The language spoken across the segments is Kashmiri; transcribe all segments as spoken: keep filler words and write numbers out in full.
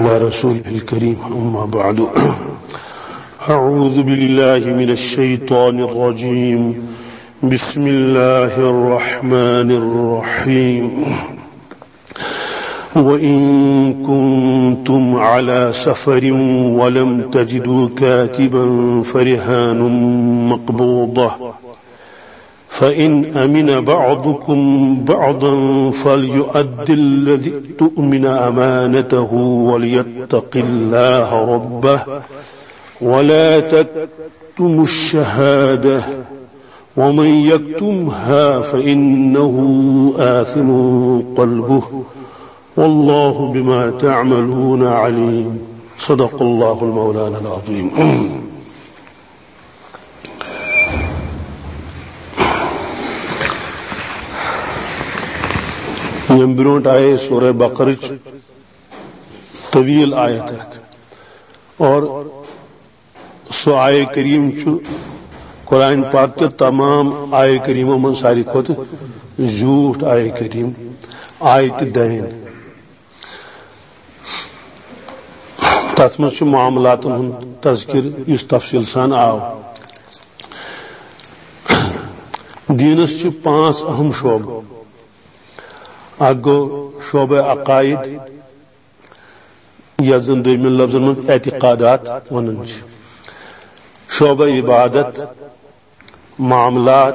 على رسوله الكريم، أما بعد. أعوذ بالله من الشيطان الرجيم. بسم الله الرحمن الرحيم. وإن كنتم على سفر ولم تجدوا كاتبا فرهان مقبوضة، فإن أمن بعضكم بعضا فليؤد الذي اؤتمن أمانته وليتق الله ربه ولا تكتموا الشهادة ومن يكتمها فإنه آثم قلبه والله بما تعملون عليم. صدق الله المولانا العظيم. ییٚمہِ برونٛٹھ آیے سورہ بقرٕچ طویل آیت اکھ، اور سُہ آیہِ کریم چھُ قرآن پاک کہِ تمام آیہِ کریمو منٛز ساروی کھۄتہٕ زیوٗٹھ آیہِ کریم، آیہِ تہِ دٔہِن۔ تَتھ منٛز چھُ معاملاتن ہُنٛد تذکر یُس تفصیل سان آو۔ دیٖنس چھِ پانٛژھ اہم شعبہٕ۔ اکھ گوٚو شعبہ عقائد، یتھ زن دوٚیمٮ۪ن لفظن منٛز اعتقادات ونان چھِ۔ شعبہ عبادت، معاملات،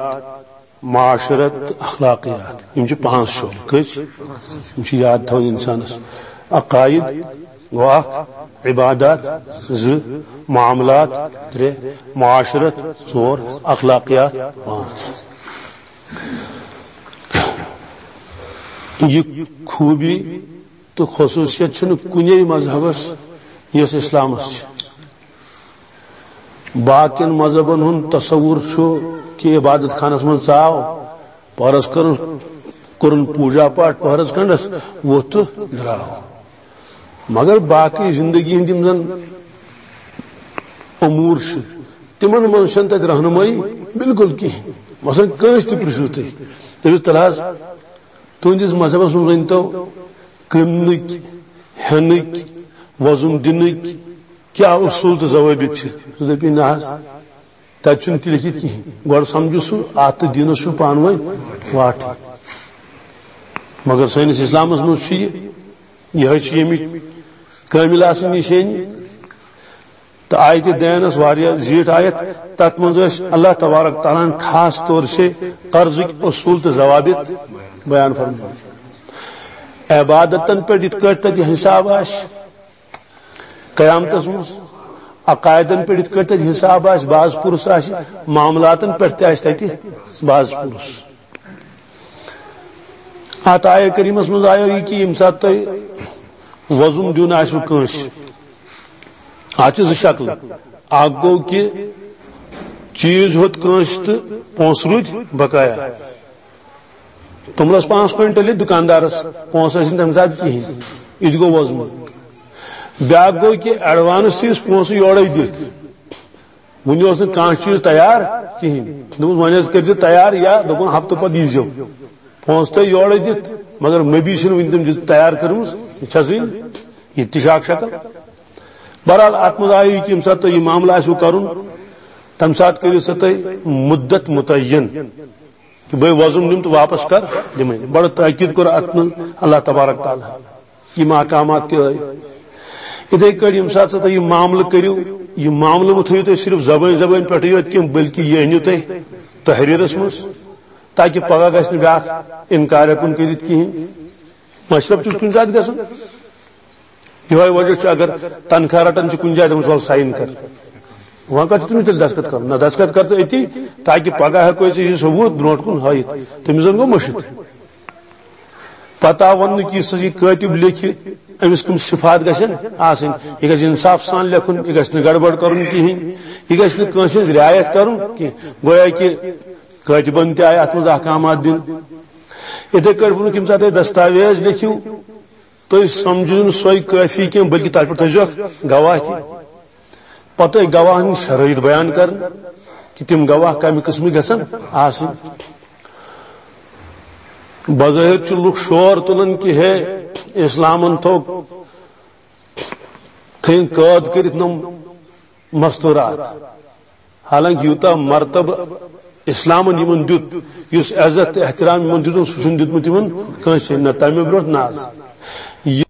معاشرت تہٕ اخلاقیات۔ یِم چھِ پانٛژھ شعبہٕ۔ کٔژ؟ یِم چھِ یاد تھاوٕنۍ انسانس۔ عقائد گوٚو اکھ، عبادات زٕ، معاملات ترٛےٚ، معاشرت ژور، اخلاقیات پانٛژھ۔ یہِ خوٗبی تہٕ خصوٗصیت چھنہٕ کُنے مذہبس یۄس اسلامس چھِ۔ باقین مذہبن ہُنٛد تصور چھُ کہِ عبادت خانس منٛز ژاو، پہرس کٔرٕن، کوٚرُن پوٗجا پاٹھ پہرس کھنڈس، ووٚتھ تہٕ درٛاو۔ مگر باقی زندگی ہٕنٛدۍ یِم زن امور چھِ، تِمن منٛز چھنہٕ تتہِ رہنمٲیی بالکل کِہیٖنۍ۔ مثلاً کٲنٛسہِ تہِ پرژھِو تُہۍ، تٔمِس تلہٕ حظ تُہنٛدِس مذہبس منٛز ؤنۍ تو، کٕننٕکۍ، ہٮ۪نٕکۍ، وۄزُم دِنٕکۍ کیٛاہ اصوٗل تہٕ ضوٲبط چھِ؟ سُہ دپہِ، نہ حظ، تتہِ چھُنہٕ تہِ لیکھِتھ کِہیٖنۍ۔ گۄڈٕ سمجھو سُہ، اتھ تہٕ دیٖنس چھُ پانہٕ ؤنۍ واٹھ۔ مگر سٲنِس اسلامس منٛز چھُ یہِ، یِہوٚے چھُ ییٚمِچ کٲمِل آسٕنۍ نِشٲنی۔ تہٕ آیتِ دینس واریاہ زیٖٹھ آیت، تتھ منٛز ٲسۍ اللہ تبارک تعالیٰ ہن خاص طور سے قرضٕکۍ اصوٗل تہٕ ضوابط بیان فرمٲومٕتۍ۔ عبادتن پٮ۪ٹھ یِتھ کٲٹھۍ تتہِ حساب آسہِ قیامتس منٛز، عقائدن پٮ۪ٹھ یِتھ کٲٹھۍ تتہِ حساب آسہِ، باز پُرس آسہِ، معاملاتن پٮ۪ٹھ تہِ آسہِ تتہِ باز پُرس۔ اتھ آیہ کریمس منٛز آیو یہِ کہِ ییٚمہِ ساتہٕ تۄہہِ وۄزُم دیُن آسِوٕ کٲنٛسہِ، اتھ چھِ زٕ شکلہٕ۔ اکھ گوٚو کہِ چیٖز ہیوٚت کٲنٛسہِ تہٕ پونٛسہٕ روٗدۍ بقایا۔ توٚملس پانٛژھ کوینٹل یہِ دُکاندارس، پونٛسہٕ ٲسۍ نہٕ تمہِ ساتہٕ کِہیٖنۍ، یہِ تہِ گوٚو وۄزُم۔ بیٛاکھ گوٚو کہِ ایڈوانس چھِ أسۍ پونٛسہٕ یورے دِتھ، وُنہِ اوس نہٕ کانٛہہ چیٖز تیار کِہیٖنۍ۔ دوٚپُس، وۄنۍ حظ کٔرۍزِ تیار، یا دوٚپُن، ہفتہٕ پتہٕ ییٖزیو۔ پونٛسہٕ تۄہہِ یورے دِتھ، مگر مٔبی چھِنہٕ وُنہِ تِم دِتھ تیار کٔرمٕژ، یہِ چھَسٕے نہٕ۔ یہِ تہِ چھِ اکھ شکل۔ بہرحال، اتھ منٛز آیہِ یہِ کہِ ییٚمہِ ساتہٕ تۄہہِ یہِ معاملہٕ آسِوٕ کرُن، تمہِ ساتہٕ کٔرِو سا تُہۍ مُدت مُتعین۔ بے وۄزُم نِم تہٕ واپس کر دِمے۔ بڑٕ تاکید کوٚر اتھ منٛز اللہ تبارک تعالیٰ۔ یِم احکامات تہِ ٲے۔ یِتھے کٲٹھۍ ییٚمہِ ساتہٕ سا تُہۍ یہِ معاملہٕ کٔرِو، یہِ معاملہٕ مہٕ تھٲیِو تُہۍ صرف زبٲنۍ زبٲنۍ پٮ۪ٹھٕے یوت کینٛہہ، بلکہِ یہِ أنِو تُہۍ تحریرس منٛز، تاکہِ پگاہ گژھِ نہٕ بیٛاکھ انکار ہٮ۪کُن کٔرِتھ کِہیٖنۍ۔ مشرف چھُس کُنہِ ساتہٕ گژھان۔ یِہوٚے وجہ چھُ، اگر تنخواہ رٹان چھِ کُنہِ جایہِ، دَپان چھِ، "وَلہٕ ساین کر۔" وۄنۍ کَتہِ چھُ تٔمِس تیٚلہِ دستخط کَرُن؟ نہ، دستخط کر ژٕ أتی، تاکہِ پگاہ ہٮ۪کو أسۍ یہِ ثبوٗت برونٛٹھ کُن ہٲیِتھ۔ تٔمِس زَن گوٚو مٔشِتھ۔ پتہٕ آو وَننہٕ کہِ یُس ہسا یہِ کٲتِب لیکھِ، أمِس کٕم صفات گژھن آسٕنۍ۔ یہِ گژھِ انصاف سان لیکھُن، یہِ گژھِ نہٕ گڑبڑ کَرُن کِہیٖنۍ، یہِ گژھِ نہٕ کٲنٛسہِ ہٕنٛز رعایت کَرُن کینٛہہ۔ گویا کہِ کٲتِبَن تہِ آیہِ اَتھ منٛز احکامات دِنہٕ۔ یِتھَے کٲٹھۍ ووٚنُکھ، ییٚمہِ ساتہٕ تُہۍ دستاویز لیکھِو، تُہۍ سمجھِو نہٕ سۄے کٲفی کینٛہہ، بلکہِ تَتھ پٮ۪ٹھ تھٲیزیوکھ گواہ تہِ۔ پتہٕ تُہۍ گواہن ہٕنٛدۍ شرٲیط بیان کرٕنۍ کہِ تِم گواہ کمہِ قٕسمٕکۍ گژھن آسٕنۍ۔ بظٲہِر چھِ لُکھ شور تُلان کہِ ہے، اسلامن تھوٚو تھٲیِن قٲد کٔرِتھ نۄم مستورات۔ حالانکہ یوٗتاہ مرتبہ اسلامن یِمن دیُت، یُس عزت تہٕ احترام یِمن دیُتُن، سُہ چھُنہٕ دیُتمُت یِمن کٲنٛسہِ، نہ تَمہِ برونٛٹھ نہ آز۔ یہِ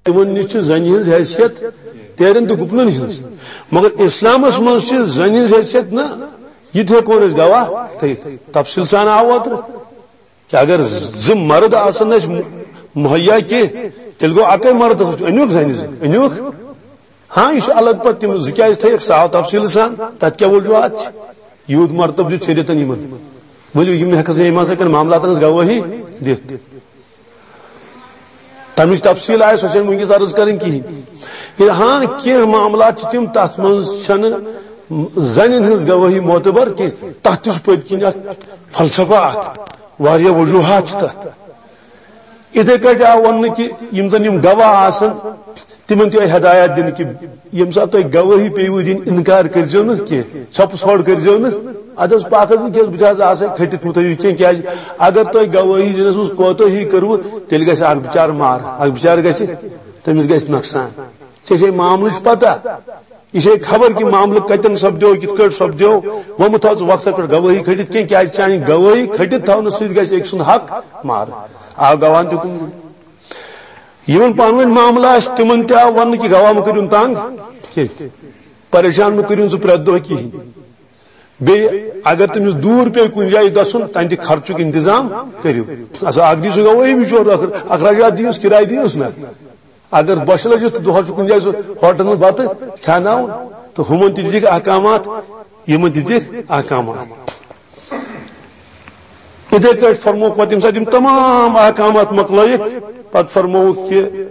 تِمن نِش چھِ زنہِ ہٕنٛز حیثیت تیرٮ۪ن تہٕ گُپنن ہٕنٛز، مگر اسلامس منٛز چھِ زنہِ ہٕنٛز حیثیت نہ، یہِ تہِ ہٮ۪کون أسۍ گواہ تھٲیِتھ۔ تفصیل سان آو اوترٕ۔ کہ اگر زٕ مرد آسن نہٕ اسہِ مہیا کینٛہہ، تیٚلہِ گوٚو اکے مردس وٕچھ، أنیُکھ زنہِ زٕ، أنیُکھ؟ ہاں، یہِ چھُ الگ پتہٕ تِم زٕ کیازِ تھٲیِکھ، سُہ آو تفصیٖل سان، تتھ کیٛاہ وجوہات چھِ؟ یوٗت مرتب دیُت شریعتن یِمن۔ ؤلِو، یِم ہٮ۪کس نہٕ یِمن سۭتۍ معاملاتن ہٕنٛز گوٲہی دِتھ۔ تمِچ تفصیٖل آسہِ، سۄ چھَنہٕ وٕنکیٚس عرض کرٕنۍ کِہیٖنۍ۔ ییٚلہِ ہاں کینٛہہ معاملات چھِ تِم، تتھ منٛز چھَنہٕ زنٮ۪ن ہٕنٛز گوٲہی معتبر کینٛہہ، تتھ تہِ چھُ پٔتۍ کِنۍ اکھ فلسفہ اکھ، واریاہ وجوہات چھِ تتھ۔ یِتھے کٲٹھۍ آو وننہٕ کہِ یِم زن یِم گواہ آسن، تِمن تہِ آیہِ ہدایت دِنہٕ کہِ ییٚمہِ ساتہٕ تۄہہِ گوٲہی پیٚیِوٕ دِنۍ، انکار کٔرۍزیو نہٕ کینٛہہ، ژھۄپہٕ ژھۄڑ کٔرۍزیو نہٕ۔ ادٕ حظ پکھ حظ وٕنکیٚس، بہٕ تہِ حظ آسے کھٔٹِتھ مُتھٲیِو کینٛہہ، کیازِ اگر تۄہہِ گوٲہی دِنس منٛز کوتٲہی کٔروٕ، تیٚلہِ گژھِ اکھ بچار مارٕ، اکھ بچار گژھِ، تٔمِس گژھِ نۄقصان۔ ژےٚ چھے معاملٕچ پتہ، یہِ چھے خبر کہِ معاملہٕ کتٮ۪ن سپدیو، کِتھ کٲٹھۍ سپدیو، وۄمُت تھاو ژٕ وقتس پٮ۪ٹھ گوٲہی کھٔٹِتھ کینٛہہ، کیازِ چانہِ گوٲہی کھٔٹِتھ تھاونہٕ سۭتۍ گژھِ أکۍ سُنٛد حق مارٕ۔ آو گواہن تہِ کُن۔ یِمن پانہٕ ؤنۍ معاملہٕ آسہِ، تِمن تہِ آو وننہٕ کہِ گواہ مہٕ کٔرِو تنگ کینٛہہ، پریشان مہٕ کٔرِو سُہ پرٛٮ۪تھ دۄہ کِہیٖنۍ۔ بیٚیہِ اگر تٔمِس دوٗر پیٚیہِ کُنہِ جایہِ گژھُن، تَمہِ تہِ خرچُک انتظام کٔرِو۔ اچھا، اکھ دِیِو سُہ گوٲہی بِچور، اخ-، اخراجات دِیوس، کِراے دِیوس نہ۔ اگر بۄچھِ لٔجِس تہٕ دۄہس چھُ کُنہِ جایہِ سُہ ہوٹلس منٛز بتہٕ کھیاناوُن، تہٕ ہُمن تہِ دِتِکھ احکامات، یِمن دِتِکھ احکامات۔ یِتھے کٲٹھۍ فرمووُکھ پتہٕ، ییٚمہِ ساتہٕ یِم تمام احکامات مۄکلٲیِکھ، پتہٕ فرمووُکھ کہِ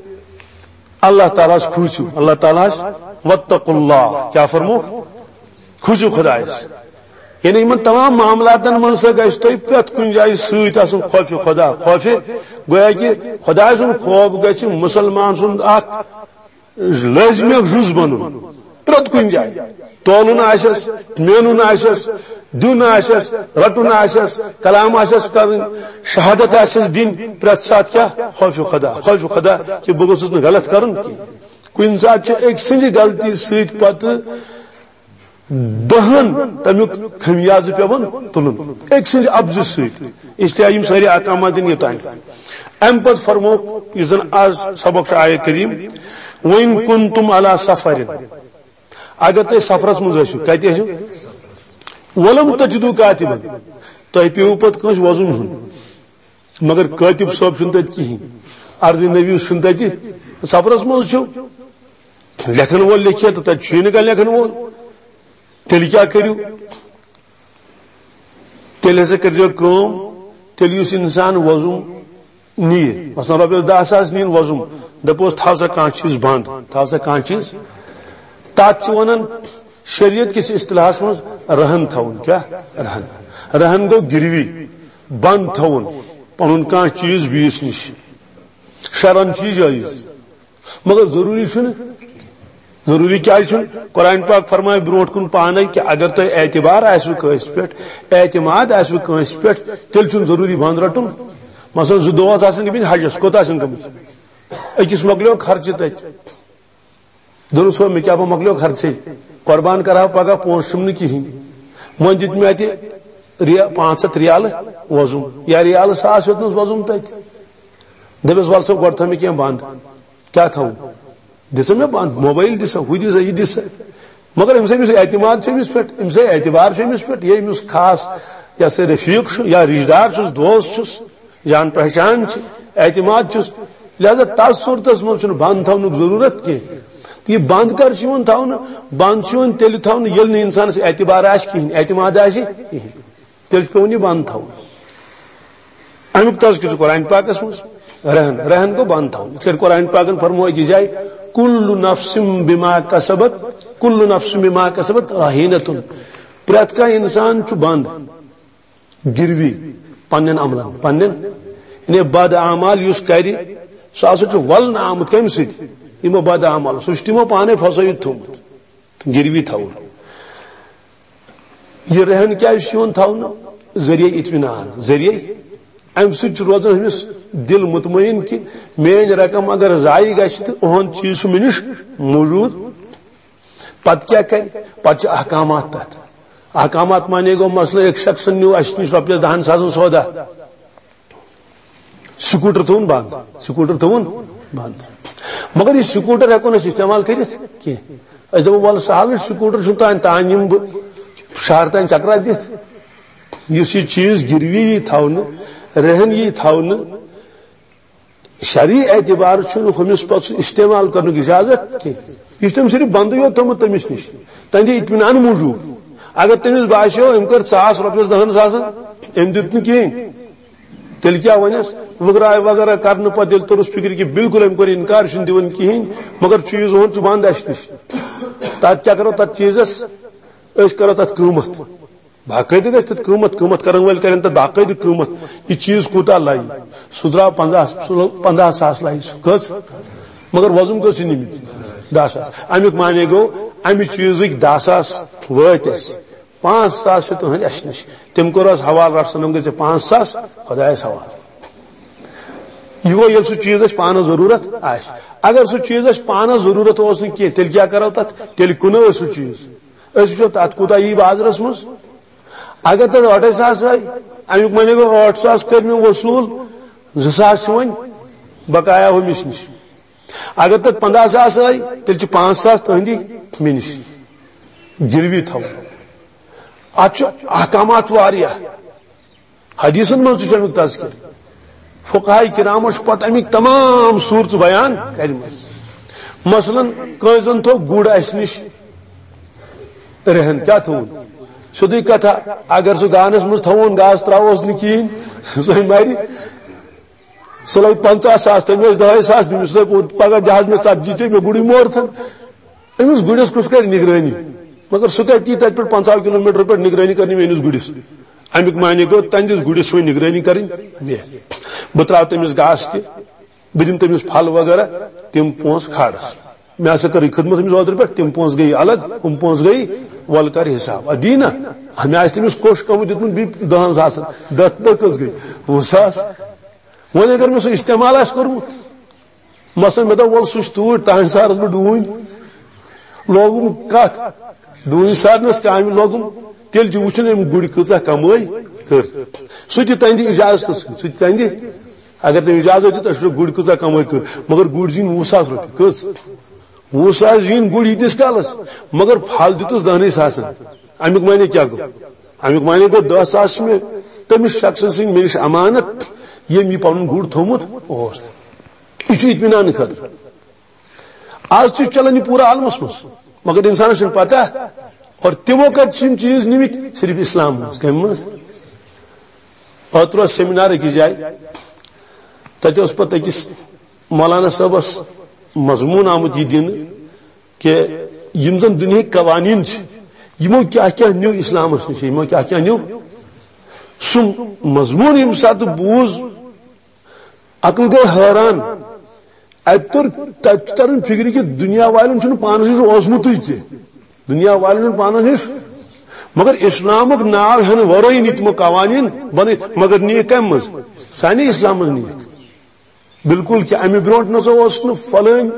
اللہ تعالیٰ ہس کھوٗژِو، اللہ تعالیٰ ہس، واتقوا اللہ، کیٛاہ فرمووُکھ؟ کھوٗژِو خدایس۔ یعنی یِمن تمام معاملاتن منٛز سا گژھِ تۄہہِ پرٛٮ۪تھ کُنہِ جایہِ سۭتۍ آسُن خوفِ خدا۔ خوفِ، گویا کہِ خدایہِ سُنٛد خوف گژھِ مُسلمان سُنٛد اکھ لٲزمی اکھ جُز بنُن۔ پرٛٮ۪تھ کُنہِ جایہِ تولُن آسٮ۪س، مینُن آسٮ۪س، دیُن آسٮ۪س، رٹُن آسٮ۪س، کلام آسٮ۪س کرٕنۍ، شہادت آسٮ۪س دِنۍ، پرٛٮ۪تھ ساتہٕ کیٛاہ؟ خوفِ خدا، خوفِ خدا کہِ بہٕ گوٚژھُس نہٕ غلط کرُن کینٛہہ۔ کُنہِ ساتہٕ چھُ أکۍ سٕنٛزِ غلطی سۭتۍ پتہٕ دہن تمیُک خمیازٕ پٮ۪وان تُلُن أکۍ سٕنٛدِ اپزِ سۭتۍ۔ اس لیے یِم سٲری احکامات دِنۍ یوٚتام۔ امہِ پتہٕ فرمووُکھ، یُس زن آز سبق چھُ آیہِ کریم، "وَإِن كُنتُمْ عَلَىٰ سَفَرٍ"، اگر تُہۍ سفرس منٛز ٲسِو، کتہِ ٲسِو؟ "وَلَمْ تَجِدُوا كَاتِبًا"، تۄہہِ پیٚوٕ پتہٕ کٲنٛسہِ وۄزُم ہیوٚن، مگر کٲتِب صٲب چھُنہٕ تتہِ کِہیٖنۍ، عرض نبی چھُنہٕ تتہِ، سفرس منٛز چھُ لیکھن وول لیکھِتھ تہٕ تتہِ چھُے نہٕ کانٛہہ لیکھن وول۔ تیٚلہِ کیٛاہ کٔرِو؟ تیٚلہِ ہسا کٔرۍزیو کٲم، تیٚلہِ یُس انسان وۄزُم نِیہِ، مثلاً رۄپیس دَہ ساس نِیِن وۄزُم، دپوس، "تھاو سا کانٛہہ چیٖز بنٛد، تھاو سا کانٛہہ چیٖز"، تتھ چھِ ونان شریعت کِس اصطلاحس منٛز رہن تھاوُن۔ کیٛاہ؟ رہن۔ رہن گوٚو گِروی، بنٛد تھاوُن پنُن کانٛہہ چیٖز بیٚیِس نِش۔ شرعن چھُ یہِ جٲیز۔ مگر ضروٗری چھُنہٕ۔ ضروٗری کیٛازِ چھُنہٕ؟ قرآن پاک فرمایہِ برونٛٹھ کُن پانے کہِ اگر تۄہہِ اعتبار آسِوٕ کٲنٛسہِ پٮ۪ٹھ، اعتماد آسِوٕ کٲنٛسہِ پٮ۪ٹھ، تیٚلہِ چھُنہٕ ضروٗری بنٛد رٹُن۔ مثلاً زٕ دۄہ آسن گٔمٕتۍ حجس، کوٚت آسن گٔمٕتۍ؟ أکِس مۄکلیو خرچہِ تتہِ۔ دوٚپُس، "ہو، مےٚ کیٛاہ پَتہٕ مۄکلیو خرچے؟ قربان کرٕ ہا پگاہ، پونٛسہٕ چھُم نہٕ کِہیٖنۍ۔ وۄنۍ دیُت مےٚ اَتہِ ریا-، پانٛژھ ہَتھ ریالہٕ وۄزُم، یا ریالہٕ ساس ہیوٚتنَس وۄزُم تَتہِ۔" دَپٮ۪س، "وَلہٕ سا، گۄڈٕ تھاو مےٚ کینٛہہ بنٛد۔" کیٛاہ تھاوُن؟ دِ سا مےٚ بنٛد، موبایل دِ سا، ہُہ دِ سا، یہِ دِ سا۔ مگر أمِس، أمِس اعتماد چھُ أمِس پٮ۪ٹھ، أمِس اعتبار چھُ أمِس پٮ۪ٹھ، یہِ أمِس خاص، یہِ ہسا رفیٖق چھُ یا رشتہٕ دار چھُس، دوست چھُس، جان پہچان چھِ، اعتماد چھُس۔ لہذا تَتھ صوٗرتَس منٛز چھُنہٕ بنٛد تھاونُک ضروٗرت کینٛہہ۔ تہٕ یہِ بنٛد کر چھُ یِوان تھاونہٕ؟ بنٛد چھُ یِوان تیٚلہِ تھاونہٕ، ییٚلہِ نہٕ اِنسانَس اعتبار آسہِ کِہیٖنۍ، اعتماد آسہِ کِہیٖنۍ۔ تیٚلہِ چھُ پٮ۪وان یہِ بنٛد تھاوُن۔ اَمیُک تذکرٕ چھُ قرآن پاکَس منٛز۔ رہن، رہن گوٚو بنٛد تھاوُن۔ یِتھ کٲٹھۍ قرآن پاکَن فرموو أکِس جایہِ، "کُلُّ نَفْسٍ بِمَا کَسَبَتْ، کُلُّ نَفْسٍ بِمَا کَسَبَتْ رَهِينَةٌ۔" پرٛٮ۪تھ کانٛہہ اِنسان چھُ بنٛد۔ گِروی پننٮ۪ن عملن، پننٮ۪ن، یعنی بد اعمال یُس کرِ، سُہ ہسا چھُ ولنہٕ آمُت۔ کمہِ سۭتۍ؟ یِمو بد اعمالو۔ سُہ چھُ تِمو پانے پھسٲوِتھ تھوٚومُت۔ گِروی تھاوُن۔ یہِ رہن کیازِ چھُ یِوان تھاونہٕ؟ ذٔریعہ اطمینان، ذٔریعہ امہِ سۭتۍ چھُ روزان أمِس دِل مطمئن کہِ میٲنۍ رقم اگر ضایع گژھِ تہٕ اُہُنٛد چیٖز چھُ مےٚ نِش موٗجوٗد۔ پتہٕ کیٛاہ کرِ؟ پتہٕ چھِ احکامات تتھ۔ احکامات معنی گوٚو، مثلاً، أکۍ شخصن نیوٗ اسہِ نِش رۄپیس دہن ساسن سودا، سکوٹر تھوٚوُن بنٛد، سکوٹر تھوٚوُن بنٛد۔ مگر یہِ سکوٹر ہٮ۪کو نہٕ أسۍ استعمال کٔرِتھ کینٛہہ۔ أسۍ دپو، "وَلہٕ سہل چھُ، سکوٹر چھُنہٕ تانۍ، تانۍ یِمہٕ بہٕ شہر تانۍ چکرا دِتھ۔" یُس یہِ چیٖز گِروی یی تھاونہٕ، رہن یی تھاونہٕ، شرعی اعتبار چھُنہٕ ہُمِس پتہٕ سُہ استعمال کرنُک اجازت کینٛہہ۔ یہِ چھُ تٔمۍ صرف بندٕے یوت تھوٚمُت تٔمِس نِش، تہنٛدِ اطمینان موٗجوٗب۔ اگر تٔمِس باسیو، أمۍ کٔر ژاس رۄپیس دہن ساسن، أمۍ دیُت نہٕ کِہیٖنۍ، تیٚلہِ کیٛاہ وَنٮ۪س؟ وٕگراے وغیرہ کرنہٕ پتہٕ ییٚلہِ توٚرُس فِکرِ کہِ بالکل أمۍ کوٚر اِنکار، چھُنہٕ دِوان کِہیٖنۍ، مگر چیٖز اوٚن چھُ بنٛد اَسہِ نِش۔ تَتھ کیٛاہ کرو تَتھ چیٖزَس؟ أسۍ کرو تَتھ قۭمَتھ۔ باقٲعدٕ گژھِ تَتھ قۭمَتھ، قۭمَتھ کرن وٲلۍ کرن تَتھ باقٲعدٕ قۭمَتھ۔ یہِ چیٖز کوٗتاہ لَیہِ؟ سُہ درٛاو پنٛداہ، سُہ لوٚگ پنٛداہ ساس لَیہِ، سُہ کٔژ؟ مگر وۄزُم کٔژ چھِ نِمٕتۍ؟ دَہ ساس۔ اَمیُک معنی گوٚو، اَمہِ چیٖزٕکۍ دَہ ساس وٲتۍ اَسہِ۔ پانٛژھ ساس چھِ تُہٕنٛدۍ اَسہِ نِش۔ تٔمۍ کوٚر حظ حوالہٕ، رَٹھ سا نَم گٔژھۍ ژےٚ پانٛژھ ساس خۄدایَس حوالہٕ۔ یہِ گوٚو، ییٚلہِ سُہ چیٖز اَسہِ پانَس ضروٗرت آسہِ۔ اگر سُہ چیٖز اَسہِ پانَس ضروٗرت اوس نہٕ کینٛہہ، تیٚلہِ کیٛاہ کَرو تَتھ؟ تیٚلہِ کٕنو أسۍ سُہ چیٖز۔ أسۍ وٕچھو تَتھ کوٗتاہ یی بازرَس منٛز۔ اگر تَتھ ٲٹھَے ساس آے، اَمیُک معنی گوٚو، ٲٹھ ساس کٔرۍ مےٚ وصوٗل، زٕ ساس چھِ وۄنۍ بقایا ہُمِس نِش۔ اگر تَتھ پنٛداہ ساس آے، تیٚلہِ چھِ پانٛژھ ساس تُہٕنٛدی مےٚ نِش۔ گِروی تھاوُن۔ اَتھ چھُ احکامات چھُ واریاہ۔ حدیثن منٛز تہِ چھُ اَمیُک تذکر۔ فقہاء کرامو چھِ پتہٕ اَمِکۍ تمام صوٗرژٕ بیان کَرِمَژٕ۔ مثلاً، کٲنٛسہِ زَن تھوٚو گُر اَسہِ نِش رہن، کیٛاہ تھوٚوُن؟ سیوٚدُے کتھا، اگر سُہ گانَس منٛز تھوٚوُن، گاسہٕ ترٛاووس نہٕ کِہیٖنۍ، سُہ ہے مَرِ۔ سُہ لوٚگ پنٛژاہ ساس، تٔمۍ ٲسۍ دَہَے ساس نِمٕتۍ، سُہ دوٚپ، "پگاہ دِہَس مےٚ ژتجی، ژےٚ مےٚ گُرُے مورتھن۔" أمِس گُرِس کُس کرِ نگرٲنی؟ مگر سُہ کتہِ یی تتہِ پٮ۪ٹھ پنٛژاہ کلوٗ میٖٹر پٮ۪ٹھ نگرٲنی کرنہِ میٲنِس گُرِس؟ امیُک معنی گوٚو، تہنٛدِس گُرِس چھُ وۄنۍ نگرٲنی کرٕنۍ مےٚ۔ بہٕ ترٛاوٕ تٔمِس گاسہٕ تہِ، بہٕ دِمہٕ تٔمِس پھل وغیرہ، تِم پونٛسہٕ کھالس۔ مےٚ ہسا کٔر یہِ خدمت أمِس اوترٕ پٮ۪ٹھ، تِم پونٛسہٕ گٔیہِ الگ، ہُم پونٛسہٕ گٔیہِ، وۄلہٕ کر حساب۔ اَدٕ دی نا، مےٚ آسہِ تٔمِس کوٚش کمٕے دیُتمُت بیٚیہِ دَہَن ساسَن، دَہ، دَہ کٔژ گٔے؟ وُہ ساس۔ وۄنۍ اگر مےٚ سُہ استعمال آسہِ کوٚرمُت، مثلاً، مےٚ دوٚپ، "وَلہٕ، سُہ چھُ توٗرۍ، تُہنٛدِ سارس بہٕ ڈوٗنۍ۔" لوگُم کتھ؟ ڈوٗنۍ سارنس کامہِ لوگُم۔ تیٚلہِ چھُ وٕچھُن، أمۍ گُرۍ کۭژاہ کمٲے کٔر۔ سُہ تہِ تُہنٛدِ اجازتہٕ سۭتۍ، سُہ تہِ تُہنٛدِ، اگر تٔمۍ اجازت دیُت، أسۍ وٕچھو، گُرۍ کۭژاہ کمٲے کٔر۔ مگر گُرۍ زیٖنۍ وُہ ساس رۄپیہِ۔ کٔژ؟ وُہ ساس زیٖنۍ گُرۍ ییٖتِس کالس، مگر پھل دیُتُس دَہنٕے ساسن۔ امیُک معنی کیٛاہ گوٚو؟ امیُک معنی گوٚو، دَہ ساس چھِ مےٚ تٔمِس شخصہٕ سٕنٛدۍ، مےٚ نِش امانت، ییٚمۍ یہِ پنُن گُر تھوٚومُت اوس۔ یہِ چھُ اطمینان خٲطرٕ۔ آز تہِ چھُ چلان یہِ پوٗرٕ عالمس منٛز، مگر انسانس چھُنہٕ پتہ۔ اور تِمو کتہِ چھِ یِم چیٖز نِمٕتۍ؟ صرف اسلام منٛز۔ کمہِ منٛز؟ اوترٕ اوس سیمینار أکِس جایہِ، تتہِ اوس پتہٕ أکِس مولانا صٲبس مضموٗن آمُت یہِ دِنہٕ کہِ یِم زن دُنیہٕکۍ قوانین چھِ، یِمو کیٛاہ کیٛاہ نیوٗ اسلامس نِش، یِمو کیٛاہ کیٛاہ نیوٗ۔ سُہ مضموٗن ییٚمہِ ساتہٕ بوٗز، عقل گوٚو حٲران۔ اتہِ توٚر، تتہِ چھُ تران فکرِ کہِ دُنیا والٮ۪ن چھُنہٕ پانس نِش اوسمُتٕے کینٛہہ۔ دُنیا والٮ۪ن چھُنہٕ پانس نِش، مگر اسلامُک ناو ہٮ۪نہٕ ورٲے نی تِمو قوانین بنٲوِتھ۔ مگر نِیہِ کمہِ منٛز؟ سانہِ اسلام منٛز نِیہِ۔ بالکل کہِ امہِ برونٛٹھ نسا اوس نہٕ فلٲنۍ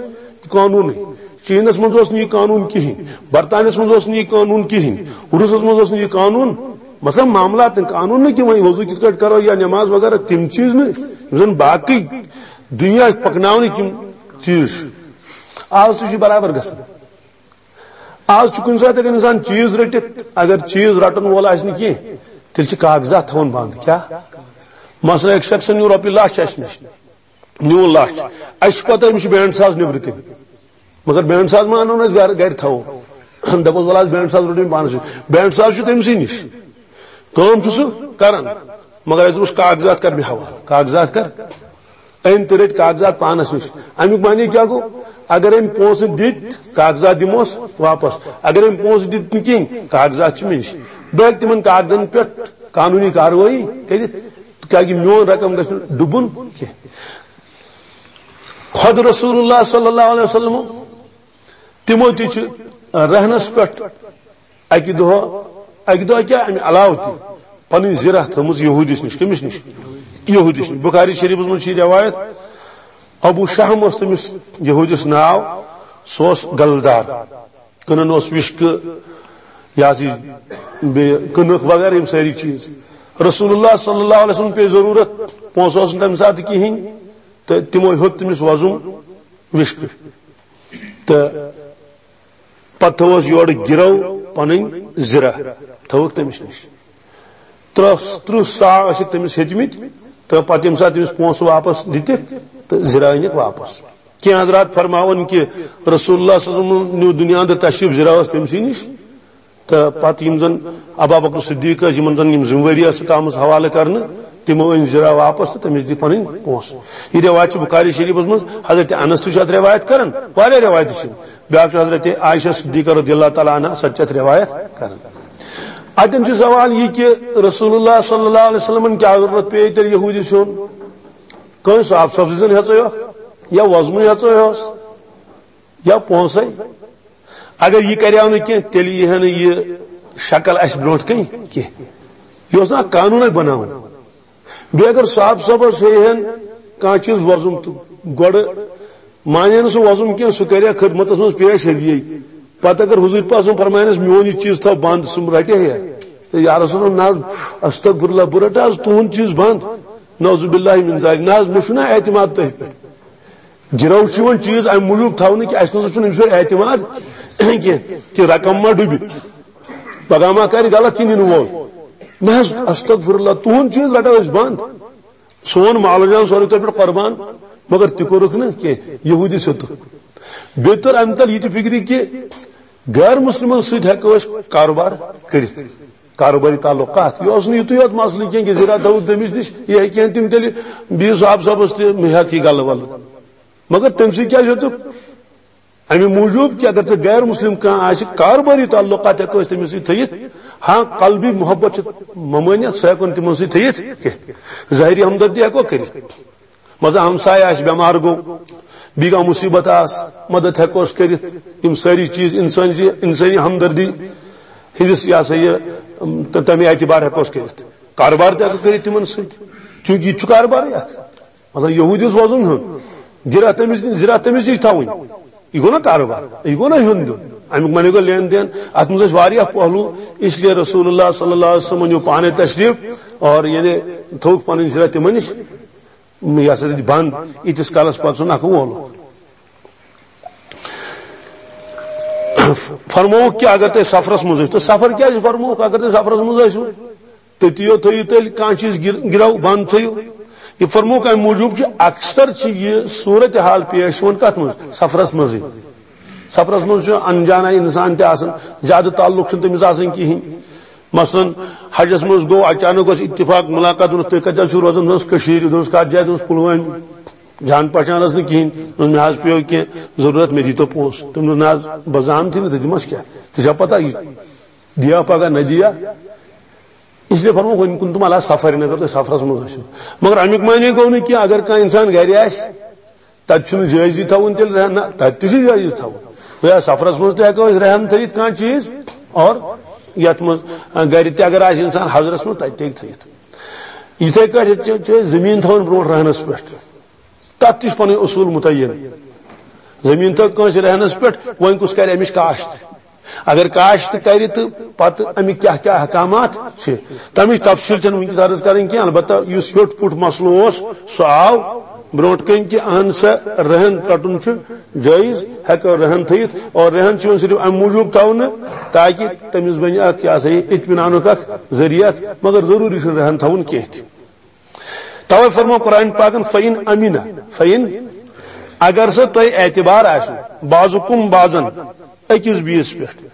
قانوٗنٕے۔ چینس منٛز اوس نہٕ یہِ قانوٗن کِہیٖنۍ، برطانیس منٛز اوس نہٕ یہِ قانوٗن کِہیٖنۍ، روٗسس منٛز اوس نہٕ یہِ قانوٗن۔ مطلب، معاملات، قانوٗن نہٕ کہِ وۄنۍ وضوٗ کِتھ کٲٹھۍ کرو یا نماز وغیرہ، تِم چیٖز نہٕ، یِم زن باقٕے دُنیا پکناونٕکۍ یِم چیٖز چھِ۔ آز تہِ چھُ برابر گژھان۔ آز چھُ کُنہِ ساتہٕ ہٮ۪کان انسان چیٖز رٔٹِتھ، اگر چیٖز رٹن وول آسہِ نہٕ کینٛہہ، تیٚلہِ چھِ کاغذات تھاوان بنٛد۔ کیٛاہ؟ مثلاً، أکۍ شخصن نیوٗ رۄپیہِ لچھ اَسہِ نِش، نیوٗ لچھ، اَسہِ چھُ پتہ أمِس چھُ بینٛڈ ساز نیٚبرٕ کِنۍ، مگر بینٛڈ ساز ما اَنو نہٕ أسۍ گرٕ، گرِ تھاوو؟ دَپوس، "وَلہٕ حظ، بینٛڈ ساز روٚٹ أمۍ پانَس نِش۔" بینٛڈ ساز چھُ تٔمۍ سٕے نِش، کٲم چھُ سُہ کران، مگر اَسہِ دوٚپُس، "کاغذات کر مےٚ حوالہٕ، کاغذات کر۔" أمۍ تہِ رٔٹۍ کاغذات پانس نِش۔ امیُک معنی کیٛاہ گوٚو؟ اگر أمۍ پونٛسہٕ دِتۍ، کاغذات دِموس واپس۔ اگر أمۍ پونٛسہٕ دِتۍ نہٕ کِہیٖنۍ، کاغذات چھِ مےٚ نِش۔ بہٕ ہٮ۪کہٕ تِمن کاغذن پٮ۪ٹھ قانوٗنی کاروٲیی کٔرِتھ، تاکہِ میون رقم گژھِ نہٕ ڈُبُن کینٛہہ۔ خۄد رسول اللہ صلی اللہ علیہ وسلم، تِمو تہِ چھِ رہنس پٮ۪ٹھ اکہِ دۄہ، اکہِ دۄہ کیٛاہ، امہِ علاوٕ تہِ پنٕنۍ زِرہ تھٲومٕژ یہودِس نِش۔ کٔمِس نِش؟ یہودِس نِش۔ بخاری شریفس منٛز چھِ یہِ روایت، ابو شحم اوس تٔمِس یہودِس ناو، سُہ اوس گلہٕ دار، کٕنان اوس وِشکہٕ، یہِ ہسا یہِ بیٚیہِ کٕنٕک وغیرہ، یِم سٲری چیٖز۔ رسول اللہ صلی اللہ علیہ وسلم پیٚیہِ ضروٗرت، پونٛسہٕ اوس نہٕ تَمہِ ساتہٕ کِہیٖنۍ، تہٕ تِمو ہیوٚت تٔمِس وۄزُم وِشکہٕ۔ تہٕ پتہٕ تھٲوٕس یورٕ گِرو پنٕنۍ زِرہ، تھٲوٕکھ تٔمِس نِش۔ ترٕٛہ، ترٕٛہ صاع ٲسِکھ تٔمِس ہیٚتمٕتۍ، تہٕ پتہٕ ییٚمہِ ساتہٕ تٔمِس پونٛسہٕ واپس دِتِکھ، تہٕ زِرہ أنِکھ واپس۔ کینٛہہ حضرات فرماوان کہِ رسول اللہ صلی اللہ علیہ وسلم نیوٗ دُنیا اندر تشریف، زِرہ ٲس تٔمسٕے نِش، تہٕ پتہٕ یِم زن ابا بکر صدیق ٲسۍ، یِمن زن یِم ذمہٕ وٲری ٲسٕکھ آمٕژ حوالہٕ کرنہٕ، تِمو أنۍ زِرہ واپس تہٕ تٔمِس دِتۍ پنٕنۍ پونٛسہٕ۔ یہِ رٮ۪وایت چھِ بخاری شریفس منٛز، حضرت انس تہِ چھُ اتھ رٮ۪وایت کران، واریاہ رٮ۪وایتہٕ چھِ۔ بیٛاکھ چھُ حضرت عائشہ صدیقہ رضی اللہ تعالیٰ عنہا، سۄ تہِ چھِ اتھ رٮ۪وایت کران۔ اتٮ۪ن چھُ سوال یہِ کہِ رسول اللہ صلی اللہ علیہ وسلمن کیٛاہ ضروٗرت پیٚیہِ تیٚلہِ یہودِس ہیوٚن؟ کٲنٛسہِ صاحب صاحب سٕنٛزن ہیژٕے اوس، یا وۄزمٕے ہیژٕے اوس، یا پونٛسے؟ اگر یہِ کریو نہٕ کینٛہہ، تیٚلہِ یی ہا نہٕ یہِ شکل اَسہِ برونٛٹھ کَنہِ کینٛہہ۔ یہِ اوس نہٕ اکھ قانوٗن اَسہِ بناوُن۔ بیٚیہِ اگر صاحب صٲبس ہیٚیہِ ہن کانٛہہ چیٖز وۄزُم، تہٕ گۄڈٕ مانہِ ہا نہٕ سُہ وۄزُم کینٛہہ، سُہ کرِ ہا خدمتس منٛز پیش ہدیے۔ پتہٕ اگر حضوٗر پاک صٲب فرماین اَسہِ، "میون یہِ چیٖز تھاو بنٛد"، سُہ رٹہِ ہا؟ تہٕ یا رسول اللہ، نہ حظ، استغفر اللہ، بہٕ رٹہٕ حظ تُہُنٛد چیٖز بنٛد۔ نعوذ باللہ من ذالک۔ نہ حظ، مےٚ چھُنہٕ اعتماد تۄہہِ پٮ۪ٹھ۔ گِرو چھُ یِوان چیٖز اَمہِ موٗجوٗب تھاونہٕ کہِ اَسہِ نہ سا چھُنہٕ أمِس پٮ۪ٹھ اعتماد کینٛہہ، کہِ رقم ما ڈُبہِ، پگاہ ما کرِ غلط یہِ نِنہٕ وول۔ نہ حظ، استغفر اللہ، تُہُنٛد چیٖز رٹو أسۍ بنٛد۔ سون مال و جان سورُے تۄہہِ پٮ۪ٹھ قۄربان، مگر تہِ کوٚرُکھ نہٕ کینٛہہ، یہوٗدِس ہیوٚتُکھ۔ بیٚیہِ توٚر اَمہِ تل یہِ تہِ فِکرِ کہِ غٲر مُسلِمن سۭتۍ ہٮ۪کو أسۍ کاروبار کٔرِتھ۔ کاروباری تعلقات۔ یہِ اوس نہٕ یُتُے یوت مسلہٕ کینٛہہ کہِ زِرا تھٲوٕکھ تٔمِس نِش، یہِ ہیٚکہِ ہن تِم تیٚلہِ بیٚیِس صاحب صٲبس تہِ ہٮ۪تھ یہِ گلہٕ ولہٕ۔ مگر تٔمۍ سٕے کیٛازِ ہیوٚتُکھ؟ اَمہِ موٗجوٗب کہِ اگر ژےٚ غیر مسلم کانٛہہ آسہِ، کاروباری تعلقات ہٮ۪کو أسۍ تٔمِس سۭتۍ تھٲیِتھ۔ ہاں، قلبی محبت چھِ ممٲنیت، سُہ ہٮ۪کو نہٕ تِمن سۭتۍ تھٲیِتھ کینٛہہ۔ ظٲہری ہمدردی ہٮ۪کو کٔرِتھ۔ مثلاً ہمسایہِ آسہِ، بٮ۪مار گوٚو، بیٚیہِ کانٛہہ مُصیٖبت آس، مدد ہٮ۪کوس کٔرِتھ۔ یِم سٲری چیٖز اِنسٲنی، اِنسٲنی ہمدردی ہِنٛدِس، یہِ ہسا یہِ، تہٕ تَمہِ اعتبار ہٮ۪کوس کٔرِتھ۔ کاروبار تہِ ہٮ۪کو کٔرِتھ تِمن سۭتۍ، چوٗنٛکہِ یہِ تہِ چھُ کاروبارٕے اکھ۔ مطلب، یہوٗدِس وۄزُم ہیوٚن، زِرا تٔمِس، زِرا تٔمِس نِش تھاوٕنۍ، یہِ گوٚو نا کاروبار، یہِ گوٚو نا ہیوٚن دیُن۔ اَمیُک معنی گوٚو لین دین۔ اَتھ منٛز ٲسۍ واریاہ پہلو، اس لیے رسول اللہ صلی اللہ علیہ وسلم نیوٗ پانے تشریف اور یعنی تھوٚوُکھ پنٕنۍ زِرا تِمن نِش۔ یہِ ہسا دِتۍ بنٛد، ییٖتِس کالس پتہٕ سُہ نکھٕ وولُکھ۔ فرمووُکھ کہِ اگر تُہۍ سفرس منٛز ٲسِو، تہٕ سفر کیٛازِ فرمووُکھ؟ اگر تُہۍ سفرس منٛز ٲسِو، تٔتی یوت تھٲیِو تیٚلہِ کانٛہہ چیٖز گر-، گِرو بنٛد تھٲیِو۔ یہِ فرمووُکھ اَمہِ موٗجوٗب کہِ اکثر چھِ یہِ صوٗرت حال پیش یِوان کتھ منٛز؟ سفرس منٛزٕے۔ سفرس منٛز چھُ انجانا انسان تہِ آسان، زیادٕ تعلق چھُنہٕ تٔمِس آسان کِہیٖنۍ۔ مثلاً حجس منٛز گوٚو، اچانک اوس اتفاق ملاقات، دوٚپنس، "تُہۍ کتہِ حظ چھِو روزان؟" دوٚپنس، "کٔشیٖرِ۔" دوٚپنس، "کتھ جایہِ؟" دوٚپنس، "پُلوامہِ۔" جان پہچان ٲس نہٕ کِہیٖنۍ۔ دوٚپنس، "مےٚ حظ پیوٚو کینٛہہ ضروٗرت، مےٚ دیٖتو پونٛسہٕ۔" تٔمۍ دوٚپ، "نہ حظ، بہٕ زانتھٕے نہٕ تہٕ دِمس کیٛاہ؟ ژےٚ چھےٚ پتہ یہِ دِیا پگاہ نہ دِیا؟" اس لیے فرمووُکھ، "وَن کُنتُم علی سفر"، اگر تُہۍ سفرس منٛز ٲسِو۔ مگر امیُک معنی گوٚو نہٕ کینٛہہ، اگر کانٛہہ انسان گرِ آسہِ، تتہِ چھُنہٕ جٲیزٕے تھاوُن تیٚلہِ رہن، نہ، تتہِ تہِ چھُ جٲیز تھاوُن۔ گویا سفرس منٛز تہِ ہٮ۪کو أسۍ رہن تھٲیِتھ کانٛہہ چیٖز، اور یتھ منٛز، آ، گرِ تہِ اگر آسہِ انسان حضرس منٛز، تتہِ تہِ ہیٚکہِ تھٲیِتھ۔ یِتھے کٲٹھۍ چھِ، چھِ أسۍ زٔمیٖن تھاوان برونٛٹھ رہنس پٮ۪ٹھ، تتھ تہِ چھُ پنٕنۍ اصوٗل مُتعین۔ زٔمیٖن تھٲو کٲنٛسہِ رہنس پٮ۪ٹھ، وۄنۍ کُس کرِ امِچ کاشت؟ اگر کاشت کرِ تہٕ پتہٕ امیِکۍ کیٛاہ کیٛاہ احکامات چھِ، تمِچ تفصیٖل چھنہٕ وٕنکیٚس عرض کرٕنۍ کینٛہہ۔ البتہ یُس ہیوٚٹ پُٹ مسلہٕ اوس، سُہ آو برونٛٹھ کنہِ کہِ اہن سا رہن ژٹُن چھُ جٲیز، ہیٚکو رہن تھٲیِتھ۔ اور رہن چھُ یِوان صرف امہِ موٗجوٗب تھاونہٕ تاکہِ تٔمِس بنہِ اکھ، یہِ ہسا یہِ، اطمینانُک اکھ ذٔریعہٕ اکھ، مگر ضروٗری چھُنہٕ رہن تھاوُن کینٛہہ تہِ۔ توے فرمو قرآن پاکن، "فَإِنْ أَمِنَ"، فَإِنْ، اگر سا تۄہہِ اعتبار آسہِ، "بَعْضُكُمْ بَعْضًا"، أکِس بیِس پٮ۪ٹھ،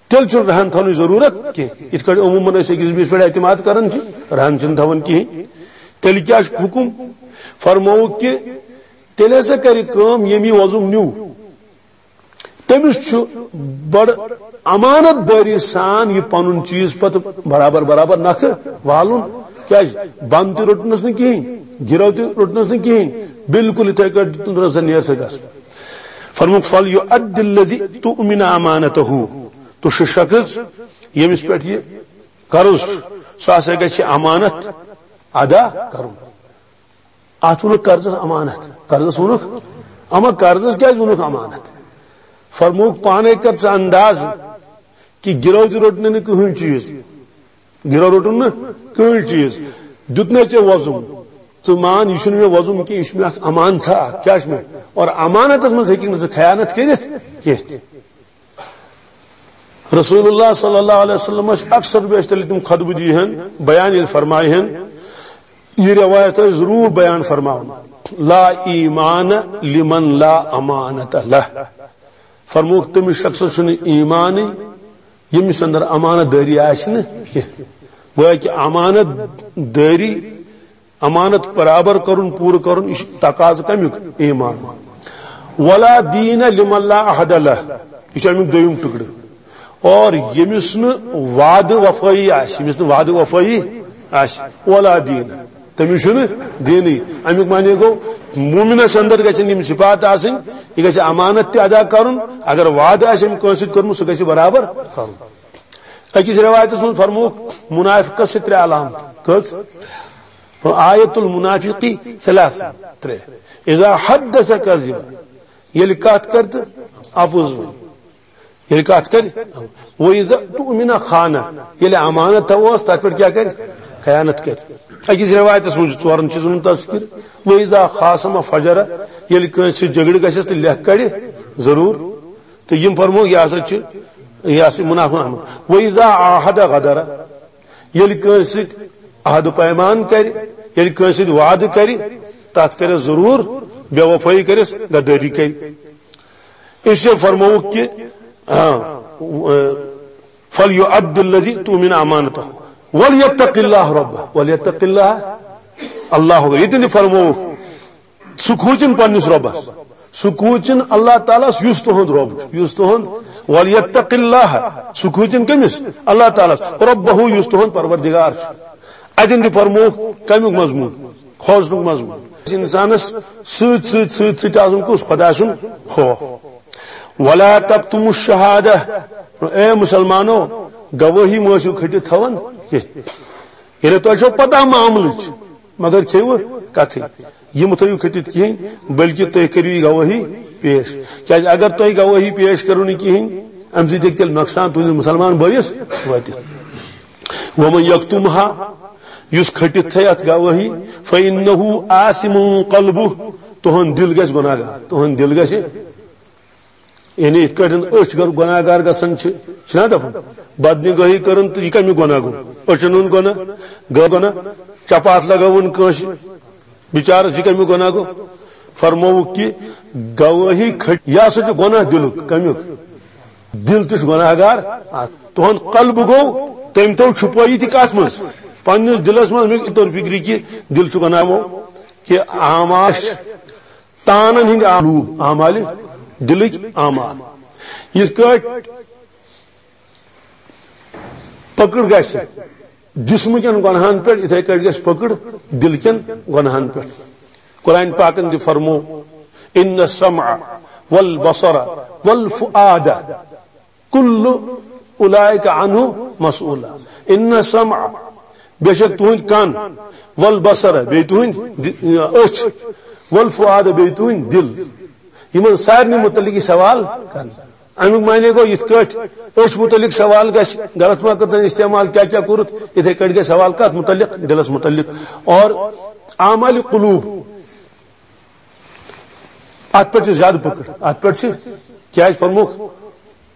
تیٚلہِ چھُنہٕ رہن تھاونٕچ ضروٗرت کینٛہہ۔ یِتھ کٲٹھۍ عموٗمن أسۍ أکِس بیِس پٮ۪ٹھ اعتماد کران چھِ، رہن چھِنہٕ تھاوان کِہیٖنۍ۔ تیٚلہِ کیٛاہ چھُ حُکُم؟ فرمووُکھ کہِ تیٚلہِ ہسا کرِ کٲم، ییٚمۍ یہِ وۄزُم نیوٗ، تٔمِس چھُ بڑٕ امانت دٲری سان یہِ پنُن چیٖز پتہٕ برابر برابر نکھٕ والُن۔ کیازِ؟ بند تہِ روٚٹنس نہٕ کِہیٖنۍ، گِرو تہِ روٚٹنس نہٕ کِہیٖنۍ، بالکل یِتھے کٲٹھۍ دیُتُن، دوٚپنس، "نیر سا گژھ۔" فرمووُکھ، "فَلْيُؤَدِّ الَّذِي اؤْتُمِنَ أَمَانَتَهُ"، تہٕ سُہ شخص ییٚمِس پٮ۪ٹھ یہِ قرض چھُ، سُہ ہسا گژھِ امانت ادا کرُن۔ اتھ ووٚنُکھ قرضس امانت۔ قرضس ووٚنُکھ، اما قرضس کیازِ ووٚنُکھ امانت؟ فرمووُکھ، پانے کر ژٕ انداز کہِ گِرو تہِ روٚٹ نہٕ کٕہٕنۍ چیٖز، گِرو روٚٹُن نہٕ کٕہٕنۍ چیٖز، دیُتنے ژےٚ وۄزُم۔ ژٕ مان، یہِ چھُنہٕ مےٚ وۄزُم کینٛہہ، یہِ چھُ مےٚ اکھ امانتھا اکھ۔ کیٛاہ چھُ مےٚ؟ اور امانتس منٛز ہیٚکہِ نہٕ ژٕ خیانت کٔرِتھ کینٛہہ تہِ۔ رسول اللہ صلی اللہ علیہ وسلم ٲسۍ اکثر بیشتر ییٚلہِ تِم خطبہٕ دِیہِ ہن، بیان ییٚلہِ فرمایہِ ہن، یہِ روایت ٲسۍ ضروٗر بیان فرماوان، "لا ایمان لمن لا امانت لہ"۔ فرمووُکھ، تٔمِس شخصس چھُنہٕ ایمانٕے، ییٚمِس اندر امانت دٲری آسہِ نہٕ کینٛہہ۔ گویا کہِ امانت دٲری، امانت برابر کرُن، پوٗرٕ کرُن، یہِ چھُ تقاضہٕ کمیُک؟ ایمان۔ ولا دین لمن لا عہد لہ، یہِ چھُ امیُک دوٚیِم ٹُکڑٕ۔ اور ییٚمِس نہٕ وعدٕ وفٲیی آسہِ، ییٚمِس نہٕ وعدٕ وفٲیی آسہِ، ولا دین، تٔمِس چھُنہٕ دیٖنٕے۔ اَمیُک معنی گوٚو، مومنس اندر گژھن یِم صفات آسٕنۍ، یہِ گژھِ امانت تہِ ادا کرُن، اگر وعدٕ آسہِ أمۍ کٲنٛسہِ سۭتۍ کوٚرمُت، سُہ گژھِ برابر کرُن۔ أکِس رِوایتس منٛز فرمووُکھ، منافقس چھِ ترٛےٚ علامتہٕ۔ کٔژ؟ آیت المنافقی ثلاث، ترٛےٚ۔ اذا حدث کذب، ییٚلہِ کتھ کرِ تہٕ اپُز ونہِ۔ ییٚلہِ کتھ کرِ، وَإِذَا اؤْتُمِنَ خَانَ، ییٚلہِ امانت تھاووس، تتھ پٮ۪ٹھ کیٛاہ کرِ؟ خیانت کرِ۔ أکِس رِوایتس منٛز چھُ ژورن چیٖزن ہُنٛد تذکر۔ وَإِذَا خَاصَمَ فَجَرَ، ییٚلہِ کٲنٛسہِ سۭتۍ جھگڑٕ گژھٮ۪س تہٕ لیکھ کڑِ ضروٗر۔ تہٕ یِم فرموو، یہِ ہسا چھُ، یہِ ہسا چھُ منافق۔ وَإِذَا عَاهَدَ غَدَرَ، ییٚلہِ کٲنٛسہِ سۭتۍ عہد و پیمان کرِ، ییٚلہِ کٲنٛسہِ سۭتۍ وعدٕ کرِ، تتھ کرٮ۪س ضروٗر بے وفٲیی کرٮ۪س، غدٲری کرِ۔ اس لیے فرمووُکھ کہ، آ، فَلْيُؤَدِّ الَّذِي اؤْتُمِنَ أَمَانَتَهُ وَلْيَتَّقِ اللَّهَ رَبَّهُ، وَلْيَتَّقِ اللَّهَ، اللہ اکبر۔ ییٚتٮ۪ن تہِ فرمووُکھ، سُہ کھوٗژِن پننِس رۄبس، سُہ کھوٗژِن اللہ تعالیٰ ہس، یُس تُہُنٛد رۄب چھُ، یُس تُہُنٛد، وَلْيَتَّقِ اللَّهَ، سُہ کھوٗژِن کٔمِس؟ اللہ تعالیٰ ہس، رَبَّهُ، یُس تُہُنٛد پروردگار چھُ۔ اتٮ۪ن تہِ فرمووُکھ کمیُک مضموٗن؟ کھوژنُک مضموٗن۔ انسانس سۭتۍ سۭتۍ سۭتۍ سۭتۍ آسُن کُس؟ خۄداے سُنٛد خوف۔ وَلَا تَكْتُمُوا الشَّهَادَةَ، اے مسلمانو، گوٲہی مہ ٲسِو کھٔٹِتھ تھاوان کینٛہہ۔ ییٚلہِ تۄہہِ چھو پتہ معاملٕچ، مگر کھیٚیِو کتھٕے، یہِ مہ تھٲیِو کھٔٹِتھ کِہیٖنۍ، بلکہِ تُہۍ کٔرِو یہِ گوٲہی پیش۔ کیازِ اگر تۄہہِ گوٲہی پیش کٔرِو نہٕ کِہیٖنۍ، امہِ سۭتۍ ہیٚکہِ تیٚلہِ نۄقصان تُہنٛدِس مسلمان بٲیِس وٲتِتھ۔ وَمَن يَكْتُمْهَا، یُس کھٔٹِتھ تھٲے اتھ گوٲہی، فَإِنَّهُ آثِمٌ قَلْبُهُ، تُہُنٛد دِل گژھِ گۄناہ گار، تُہُنٛد دِل گژھِ، یعنی یِتھ کٲٹھۍ أچھ گر-، گۄناہ گار گژھان چھِ، چھِنا دپان، بدنگٲہی کٔرٕن تہٕ یہِ کمیُک گۄناہ گوٚو؟ أچھن ہُنٛد گۄناہ، گٲو گۄناہ، چپاتھ لگٲوٕن کٲنٛسہِ بِچارس، یہِ کمیُک گۄناہ گوٚو؟ فرمووُکھ کہِ گوٲہی کھٔٹۍ، یہِ ہسا چھُ گۄناہ دِلُک۔ کمیُک؟ دِل تہِ چھُ گۄناہ گار۔ اتھ تُہُنٛد قلب گوٚو، تٔمۍ تھوٚو چھُپٲیِتھ یہِ کتھ منٛز؟ پننِس دِلس منٛز۔ مےٚ یہِ توٚر فِکرِ کہِ دِل چھُ گۄناہ گوٚو، کہِ اعمال، تانن ہٕنٛدۍ اعلوٗب، اعمالِ دِلٕکۍ اعمال۔ یِتھ کٲٹھۍ پکڑ گژھِ جسمہٕ کٮ۪ن گۄناہن پٮ۪ٹھ، یِتھے کٲٹھۍ گژھِ پکڑ دِل کٮ۪ن گۄناہن پٮ۪ٹھ۔ قرآن پاکن تہِ فرموو، "ان السمع والبصر والفؤاد کل اولئک عنہ مسئول"۔ ان السمع، بے شک تُہنٛدۍ کن، والبصر، بیٚیہِ تُہنٛدۍ دِ-، أچھ، والفؤاد، بیٚیہِ تُہنٛدۍ دِل، یِمن سارنٕے متعلق یہِ سوال کرنہٕ۔ امیُک معنی گوٚو، یِتھ کٲٹھۍ أچھ متعلق سوال گژھِ، غلط ما کٔرتن استعمال، کیٛاہ کیٛاہ کوٚرُتھ، یِتھے کٲٹھۍ گژھِ سوال کتھ متعلق؟ دِلس متعلق۔ اور اعمال قلوب، اتھ پٮ۪ٹھ چھِ زیادٕ پکڑ، اتھ پٮ۪ٹھ چھِ، کیٛازِ فرموکھ؟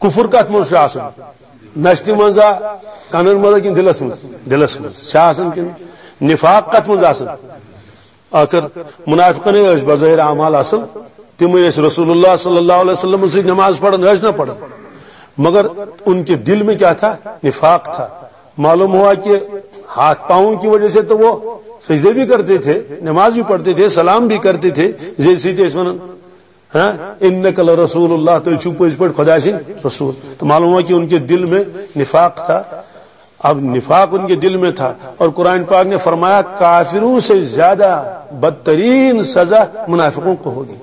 کفر کتھ منٛز چھُ آسان؟ نستہِ منٛزا، کنن منٛزا کِنہٕ دِلس منٛز؟ دِلس منٛز چھا آسان کِنہٕ؟ نفاق کتھ منٛز آسان؟ آخر منافقن ٲسۍ بظاہر اعمال اصل، تِمے ٲسۍ رسول اللہ صلی اللہ علیہ وسلم سۭتۍ نماز پڑھان، ٲسۍ نہ پڑھان، مگر ان کے دل میں کیا تھا؟ نفاق تھا۔ معلوم ہوا کہ ہاتھ پاؤں کی وجہ سے تو وہ سجدے بھی کرتے تھے، نماز بھی پڑھتے تھے، سلام بھی کرتے تھے، جیسے تھے اس ونان، ہاں، انک لرسول اللہ، تو چھو پٔزۍ پٲٹھۍ خدا سٕنٛدۍ رسول۔ تو معلوم ہوا کہ ان کے دل میں نفاق تھا۔ اب نفاق ان کے دل میں تھا، اور قرآن پاک نے فرمایا، کافروں سے زیادہ بدترین سزا منافقوں کو ہوگی۔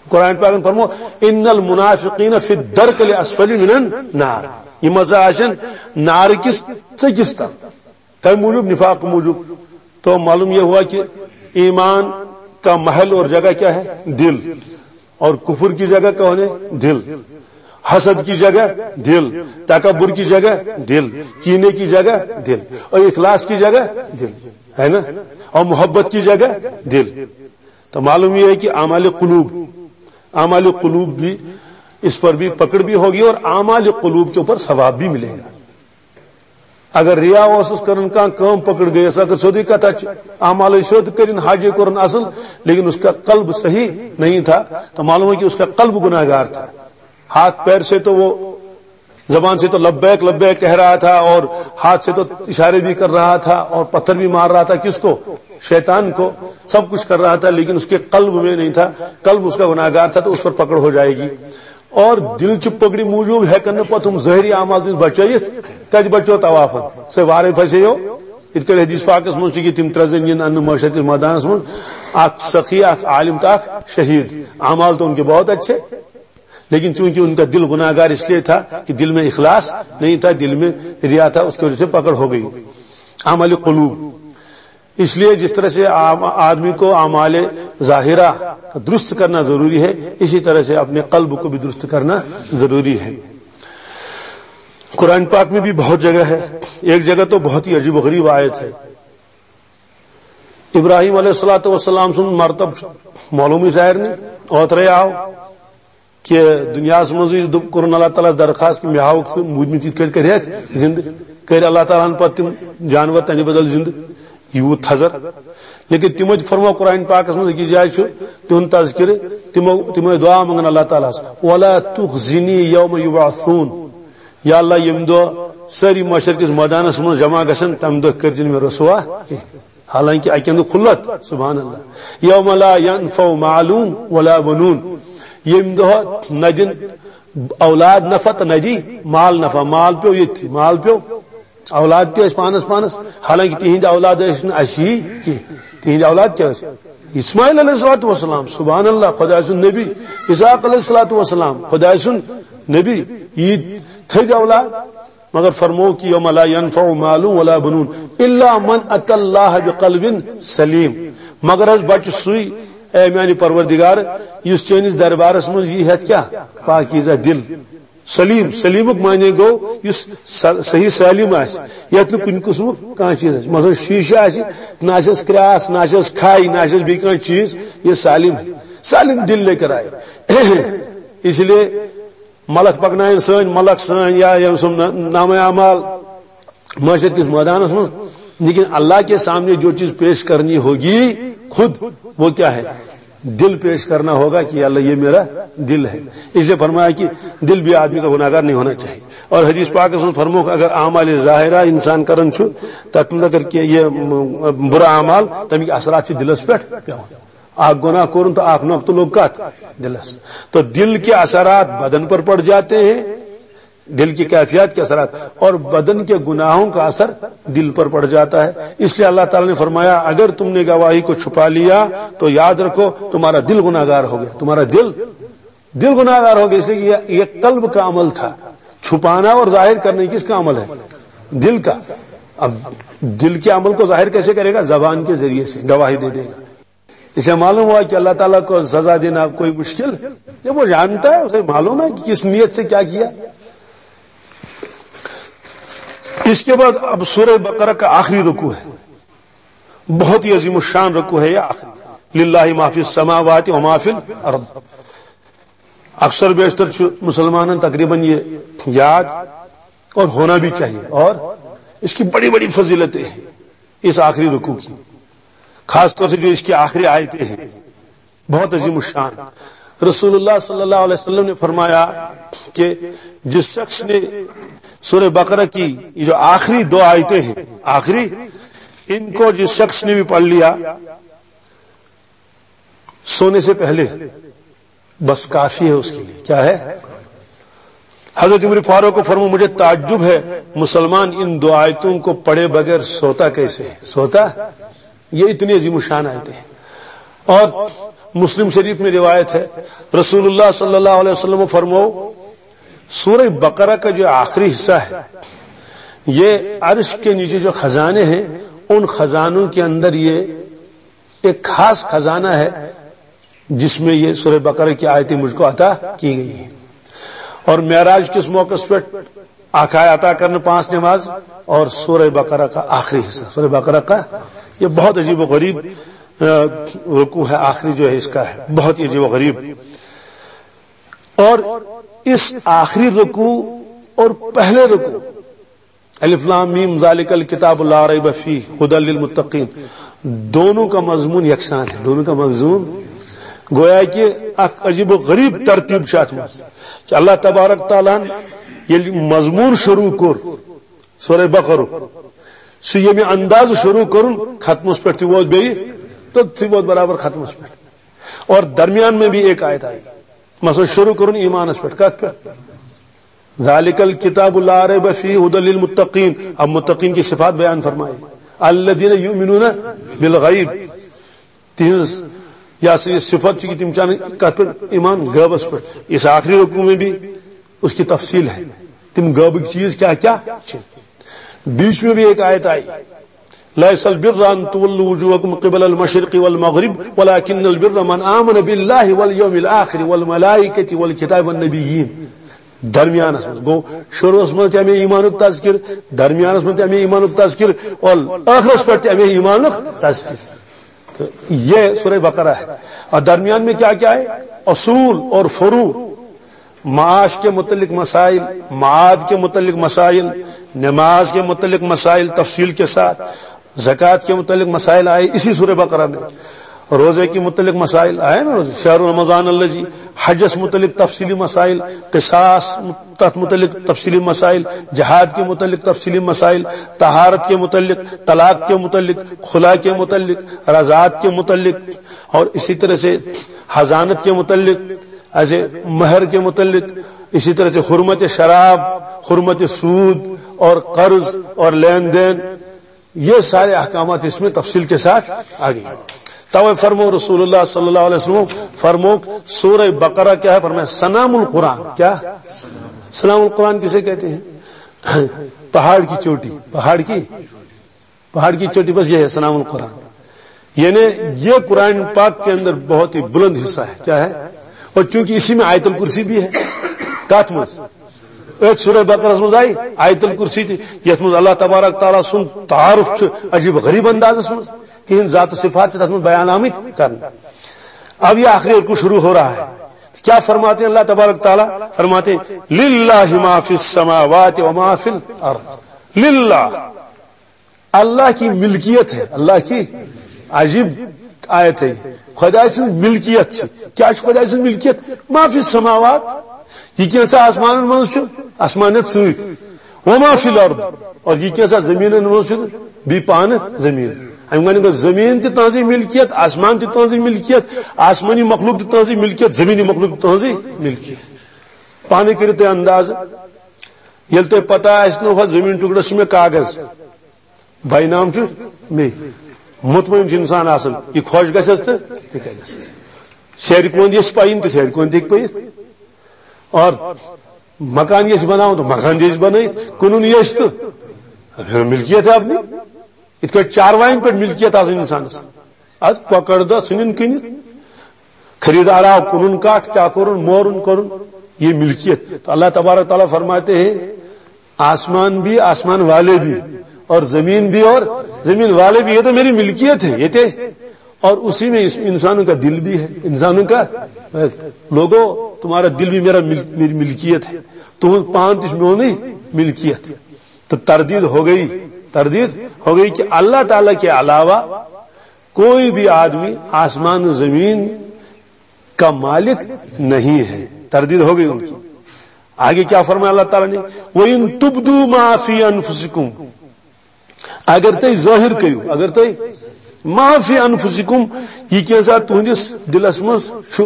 قرآن پاک نے فرمو، ان المنافقین فی الدرک الاسفل من النار۔ یہ مزہ آسن نار کس ژٔکِس تل۔ کمہِ موٗجوٗب؟ نفاق موٗجوٗب۔ تو معلوم یہ ہوا کہ ایمان کا محل اور جگہ کیا ہے؟ دل۔ اور کفر کی جگہ کون ہے؟ دل۔ حسد کی جگہ دل، تکبر کی جگہ دل، کینے کی جگہ دل، اور اخلاص کی جگہ دل، ہے نا؟ اور محبت کی جگہ دل۔ تو معلوم یہ ہے کہ اعمال قلوب، اعمال قلوب بھی، اس پر بھی پکڑ بھی ہوگی اور اعمال قلوب کے اوپر ثواب بھی ملے گا۔ اگر ریا اوسس کرن، کانٛہہ کٲم پکڑ گٔیس، اگر سیوٚدُے کتھا چھِ، اعمالے سیوٚد کٔرِن، حجے کوٚرُن اصل، لیکن اس کا قلب صحیح نہیں تھا، تو معلوم ہے کہ اس کا قلب گناہگار تھا۔ ہاتھ پیر سے تو وہ، زبان سے تو لبیک لبیک کہہ رہا تھا اور ہاتھ سے تو اشارے بھی کر رہا تھا اور پتھر بھی مار رہا تھا۔ کس کو؟ شیطان کو۔ سب کچھ کر رہا تھا، لیکن اس کے قلب میں نہیں تھا، قلب اس کا گناہگار تھا، تو اس پر پکڑ ہو جائے گی۔ اور دل چ پکڑی موجوب ہیکن نہٕ پتہٕ تِم ظٲہری اعمال تہِ بچٲیِتھ۔ کتہِ بچو طوافن؟ سُہ وارے پھسے یو۔ یِتھ کٔنۍ حدیث پاکس منٛز چھُ کہِ تِم ترٛےٚ زٔنۍ یِن اننہٕ معاشر کِس مٲدانس منٛز، اکھ سخی، اکھ عالم تہٕ اکھ شہید۔ اعمال تو ان کے بہت اچھے، لیکن چونکہ ان کا دل گناہگار اس لیے تھا کہ دل میں اخلاص نہیں تھا، دل میں ریا تھا، اس کی وجہ سے پکڑ ہو گئی۔ اعمال قلوب۔ اس لیے جس طرح سے عام آدمی کو اعمال ظاہرہ درست کرنا ضروری ہے، اسی طرح سے اپنے قلب کو بھی درست کرنا ضروری ہے۔ قرآن پاک میں بھی بہت جگہ ہے، ایک جگہ تو بہت ہی عجیب و غریب آیت ہے۔ ابراہیم علیہ الصلوۃ والسلام سُنٛد مرتب چھُ معلومٕے سارنٕے، اوترے آو کہ دنیاہس منٛزٕے دوٚپ، کوٚرُن اللہ تعالیٰ ہس درخواست کہ مےٚ ہاوُکھ ژٕ موٗدمٕتۍ یِتھ کٔٹھۍ کٔرِہکھ زندٕ۔ کٔرۍ اللہ تعالیٰ ہن پتہٕ تِم جانور تہنٛدِ بدل زندٕ، یوٗت تھزر۔ لیکن تِمو تہِ فرموو قرآن پاکس منٛز أکِس جایہِ چھُ تِہُنٛد تذکرٕ، تِمو، تِم ٲسۍ دعا منٛگان اللہ تعالیٰ ہس، "ولا تخزنی یوم یبعثون"، یا اللہ، ییٚمہِ دۄہ سٲری محشر کِس مٲدانس منٛز جمع گژھن، تمہِ دۄہ کٔرۍ زِ نہٕ مےٚ رسوا کینٛہہ۔ حالانکہ اکہِ اندٕ کھُلت، سبحان اللہ۔ یوم لا ینفع مال ولا بنون، ییٚمہِ دۄہ نہ دِن اولاد نفع تہٕ نہ دی مال نفع۔ مال پیوٚو ییٚتھی، مال پیوٚو، اولاد تہِ ٲسۍ پانس پانس، حالانکہ تِہنٛدۍ اولاد ٲسۍ نہٕ اَسہِ ہی کینٛہہ۔ تِہنٛدۍ اولاد کیٛاہ ٲسۍ؟ اسماعیل علیہ الصلوۃ والسلام، سبحان اللہ، خۄداے سُنٛد نبی، اسحاق علیہ الصلوۃ والسلام، خۄداے سُنٛد نبی، یہِ تھٔدۍ اولاد۔ مگر فرموو کہ یوم لا ینفع مال ولا بنون الا من اتی اللہ بقلب سلیم۔ مگر حظ بچہِ سُے، اے میانہِ پروردگار، یُس چٲنِس دربارس منٛز یی ہٮ۪تھ کیٛاہ؟ پاکیزہ دل۔ سلیم، سلیمُک معنی گوٚو یُس سل-، صحیح سالم آسہِ، یتھ نہٕ کُنہِ قٕسمُک کانٛہہ چیٖز آسہِ۔ مثلاً شیٖشہٕ آسہِ، نہ آسٮ۪س کرٛاس، نہ آسٮ۪س کھاے، نہ آسٮ۪س بیٚیہِ کانٛہہ چیٖز، یہِ سالم ہے۔ سالم دل لیکر آئے۔ اس لیے ملک پکنائن سٲنۍ ملک سٲنۍ یا یِم سُم نہ-، نامہ اعمال محشر کِس مٲدانس منٛز، لیکن اللہ کے سامنے جو چیز پیش کرنی ہوگی خود، وہ کیا ہے؟ دل پیش کرنا ہوگا کہ اللہ یہ میرا دل ہے۔ اس لیے فرمایا کہ دل بھی آدمی کا گناہگار نہیں ہونا چاہیے۔ اور حدیث پاک میں فرمو کہ اگر اعمال ظاہرہ انسان کرن چھُ، تتھ منٛز اگر کینٛہہ یہ برا اعمال، تمیکۍ اثرات چھِ دلس پٮ۪ٹھ پٮ۪وان۔ اکھ گناہ کوٚرُن تہٕ اکھ نۄقطہٕ لوٚگ کتھ؟ دلس۔ تو دل کے اثرات بدن پر پڑ جاتے ہیں، دل کی کیفیات کے اثرات، اور بدن کے گناہوں کا اثر دل پر پڑ جاتا ہے۔ اس لیے اللہ تعالیٰ نے فرمایا، اگر تم نے گواہی کو چھپا لیا تو یاد رکھو، تمہارا دل گناہگار ہو گیا، تمہارا دل، دل گناہگار ہو گیا، اس لیے کہ یہ، یہ قلب کا عمل تھا۔ چھپانا اور ظاہر کرنے کس کا عمل ہے؟ دل کا۔ اب دل کے عمل کو ظاہر کیسے کرے گا؟ زبان کے ذریعے سے گواہی دے دے گا۔ اس سے معلوم ہوا کہ اللہ تعالیٰ کو سزا دینا کوئی مشکل ہے، جب وہ جانتا ہے، اسے معلوم ہے کہ کس نیت سے کیا کیا۔ اس کے بعد اب سورہ بقرہ کا آخری رکوع ہے، بہت ہی عظیم الشان رکوع ہے یہ آخری۔ للہ ما فی السماوات و ما فی الارض۔ اکثر بیشتر چھُ مسلمانن تقریباً یہ یاد اور ہونا بھی چاہیے، اور اس کی بڑی بڑی فضیلتیں ہیں اس آخری رکوع کی، خاص طور سے جو اس کی آخری آیتیں ہیں، بہت عظیم الشان۔ رسول اللہ صلی اللہ علیہ وسلم نے فرمایا کہ جس شخص نے سورہ بقرہ کی یہ جو آخری دو آیتیں ہیں، آخری، ان کو جس شخص نے بھی پڑھ لیا، سونے سے پہلے، بس کافی ہے اس کے لیے۔ کیا ہے؟ حضرت عمر فاروق کو فرمو، مجھے تعجب ہے، مسلمان ان دو آیتوں کو پڑھے بغیر سوتا کیسے ہے؟ سوتا؟ یہ اتنی عظیم الشان آیتیں ہیں۔ اور مسلم شریف میں روایت ہے، رسول اللہ صلی اللہ علیہ وسلم فرمو، سورہ بقرہ کا جو آخری حصہ ہے، یہ عرش کے نیچے جو خزانے ہیں، ان خزانوں کے اندر یہ ایک خاص خزانہ ہے جس میں یہ سورہ بقرہ کی آیتیں مجھ کو عطا کی گئی ہیں۔ اور معراج کس موقع پر آخا عطا کرنے پانچ نماز اور سورہ بقرہ کا آخری حصہ، سورہ بقرہ کا یہ بہت عجیب و غریب، آ، رکوع ہے، آخری جو ہے اس کا ہے، بہت ہی عجیب و غریب۔ اور اس آخری رکوع اور پہلے رکوع، الف لام میم ذالک الکتاب لا ریب فیہ ہدی للمتقین، دونوں کا مضمون یکساں ہے، دونوں کا مضمون گویا کہ اکھ عجیب و غریب ترتیب چھِ اتھ منٛز کہ اللہ تبارک تعالیٰ ہن ییٚلہِ مضمون شروع کوٚر سورہ بقرہ، سُہ ییٚمہِ انداز شروع کوٚرُن، ختمس پٮ۪ٹھ تہِ ووت بیٚیہِ، تہٕ تہِ ووت برابر ختمس پٮ۪ٹھ۔ اور درمیان میں بھی ایک آیت آئی، مثلا شروع کوٚرُن ایمانس پٮ۪ٹھ، کتھ پٮ۪ٹھ؟ ذالک الکتاب لا ریب فیہ ہدی للمتقین۔ اب متقین کی صفات بیان فرمائی، الذین یؤمنون بالغیب، تہنٛز یہ سا یہ صفت چھِ کہ تِم چھِ انان کتھ پٮ۪ٹھ؟ ایمان غیبس پٮ۪ٹھ۔ اس آخری رکوع میں بھی اس کی تفصیل ہے، تِم غیبٕکۍ چیٖز کیٛاہ کیٛاہ چھِ۔ بیچ میں بھی ایک آیت آئی، لیس البر ان تولوا وجوہکم قبل المشرق والمغرب ولکن البر من آمن باللہ والیوم الآخر والملائکۃ والکتاب والنبیین۔ درمیانس منٛز گوٚو، شروعس منٛز تہِ امے ایمانُک تذکر، درمیانس منٛز تہِ امے ایمانُک تذکر، اور ٲخرس پٮ۪ٹھ تہِ امے ایمانُک تذکر۔ تو یہ سورہ بقرہ ہے۔ اور درمیان میں کیا کیا ہے؟ اصول اور فروع، معاش کے متعلق مسائل، معاد کے متعلق مسائل، نماز کے متعلق مسائل تفصیل کے ساتھ، زکوٰۃ کے متعلق مسائل آئے اسی سورہ بقرہ میں، روزے کے متعلق مسائل آئے نا، روزے، شہر رمضان الذی، حجس متعلق تفصیلی مسائل، قصاص، تتھ متعلق تفصیلی مسائل، جہاد کے متعلق تفصیلی مسائل، طہارت کے متعلق، طلاق کے متعلق، خلا کے متعلق، رضاعت کے متعلق، اور اسی طرح سے حضانت کے متعلق، ایسے مہر کے متعلق، اسی طرح سے حرمت شراب، حرمت سود اور قرض اور لین دین، یہ سارے احکامات اس میں تفصیل کے ساتھ آ گئی۔ توے فرمو رسول اللہ صلی اللہ علیہ وسلم، فرمو سورہ بقرہ کیا ہے؟ فرمایا سنام القرآن۔ کیا؟ سنام القرآن کسے کہتے ہیں؟ پہاڑ کی چوٹی، پہاڑ کی، پہاڑ کی چوٹی، بس یہ ہے سنام القرآن۔ یعنی یہ قرآن پاک کے اندر بہت ہی بلند حصہ ہے۔ کیا ہے؟ اور چونکہ اسی میں آیت الکرسی بھی ہے، کتھ منٛز؟ اتھ سورہ بقرہ منٛز آئی آیت الکرسی تہِ، یتھ منٛز اللہ تبارک تعالیٰ سُنٛد تعارف چھُ عجیب غریب اندازس منٛز، تہنٛد ذات و صفات چھِ تتھ منٛز بیان آمٕتۍ کرنہٕ۔ اب یہ آخری رکوع شروع ہو رہا ہے۔ کیا فرماتے ہیں اللہ تبارک تعالیٰ؟ فرماتے ہیں، للہ ما فی السماوات و ما فی الارض۔ للہ، اللہ کی ملکیت ہے، اللہ کی عجیب آیت ہے۔ خدا سٕنٛز ملکیت چھِ۔ کیا چھِ خدا سٕنٛز ملکیت؟ ما فی السماوات، یہ کینٛژھا آسمانن منٛز چھُ، آسمانیت سۭتۍ، وما فی الارض، اور یہ کینٛژھا زمینن منٛز چھُ، بیٚیہِ پانہٕ زمین۔ اَمہِ گوٚو زمین تہِ تہنٛزٕے ملکیت، آسمان تہِ تہنٛزٕے ملکیت، آسمانی مخلوق تہِ تہنٛزٕے ملکیت، زمینی مخلوق تہِ تہنٛزٕے ملکیت۔ پانے کٔرِو تُہۍ اندازٕ، ییٚلہِ تۄہہِ پتہ آسہِ نہٕ، ہۄتھ زمین ٹکڑس چھُ مےٚ کاغذ، بے نام چھُ مے۔ مطمئن چھُ انسان آسان، یہِ خۄش گژھٮ۪س تہٕ تہِ کرٮ۪س۔ سیرِ کۄند یژھِ پَیِن تہٕ سیرِ کۄند تہِ ہیٚکہِ پٔیِتھ۔ اور مکان یژھِ بناوُن تہٕ مکان تہِ ہیٚکہِ بنٲیِتھ۔ کٕنُن یژھِ تہٕ ملکیت ہے اپنی۔ یِتھ کٲٹھۍ چاروایَن پٮ۪ٹھ ملکیت آسان انسانس۔ اتھ کۄکر دہ ژھٕنِن کٕنِتھ۔ خریدار آو، کٕنُن کٹھ، کیٛاہ کوٚرُن، مورُن کوٚرُن، یہ ملکیت۔ تو اللہ تبارک تعالیٰ فرماتے ہیں، آسمان بھی، آسمان والے بھی، اور زمین بھی، اور زمین والے بھی، یہ تو میری ملکیت ہے، یہ تھے۔ اور اسی میں اس انسانوں کا دل بھی ہے، انسانوں کا، لوگو، تمہارا دل بھی میرا مل-، میری ملکیت ہے، تم پان تش میونی ملکیت۔ تو تردید ہو گئی، تردید ہو گئی کہ اللہ تعالیٰ کے علاوہ کوئی بھی آدمی آسمان و زمین کا مالک نہیں ہے۔ تردید ہو گئی ان کی۔ آگے کیا فرمایا اللہ تعالیٰ نے؟ وَإِن تُبْدُوا مَا فِي أَنفُسِكُمْ، اگر تُہۍ ظٲہِر کٔرِو، اگر تُہۍ مَا فِي أَنفُسِكُمْ، یہ کینٛژھا تُہنٛدِس دِلس منٛز چھُ،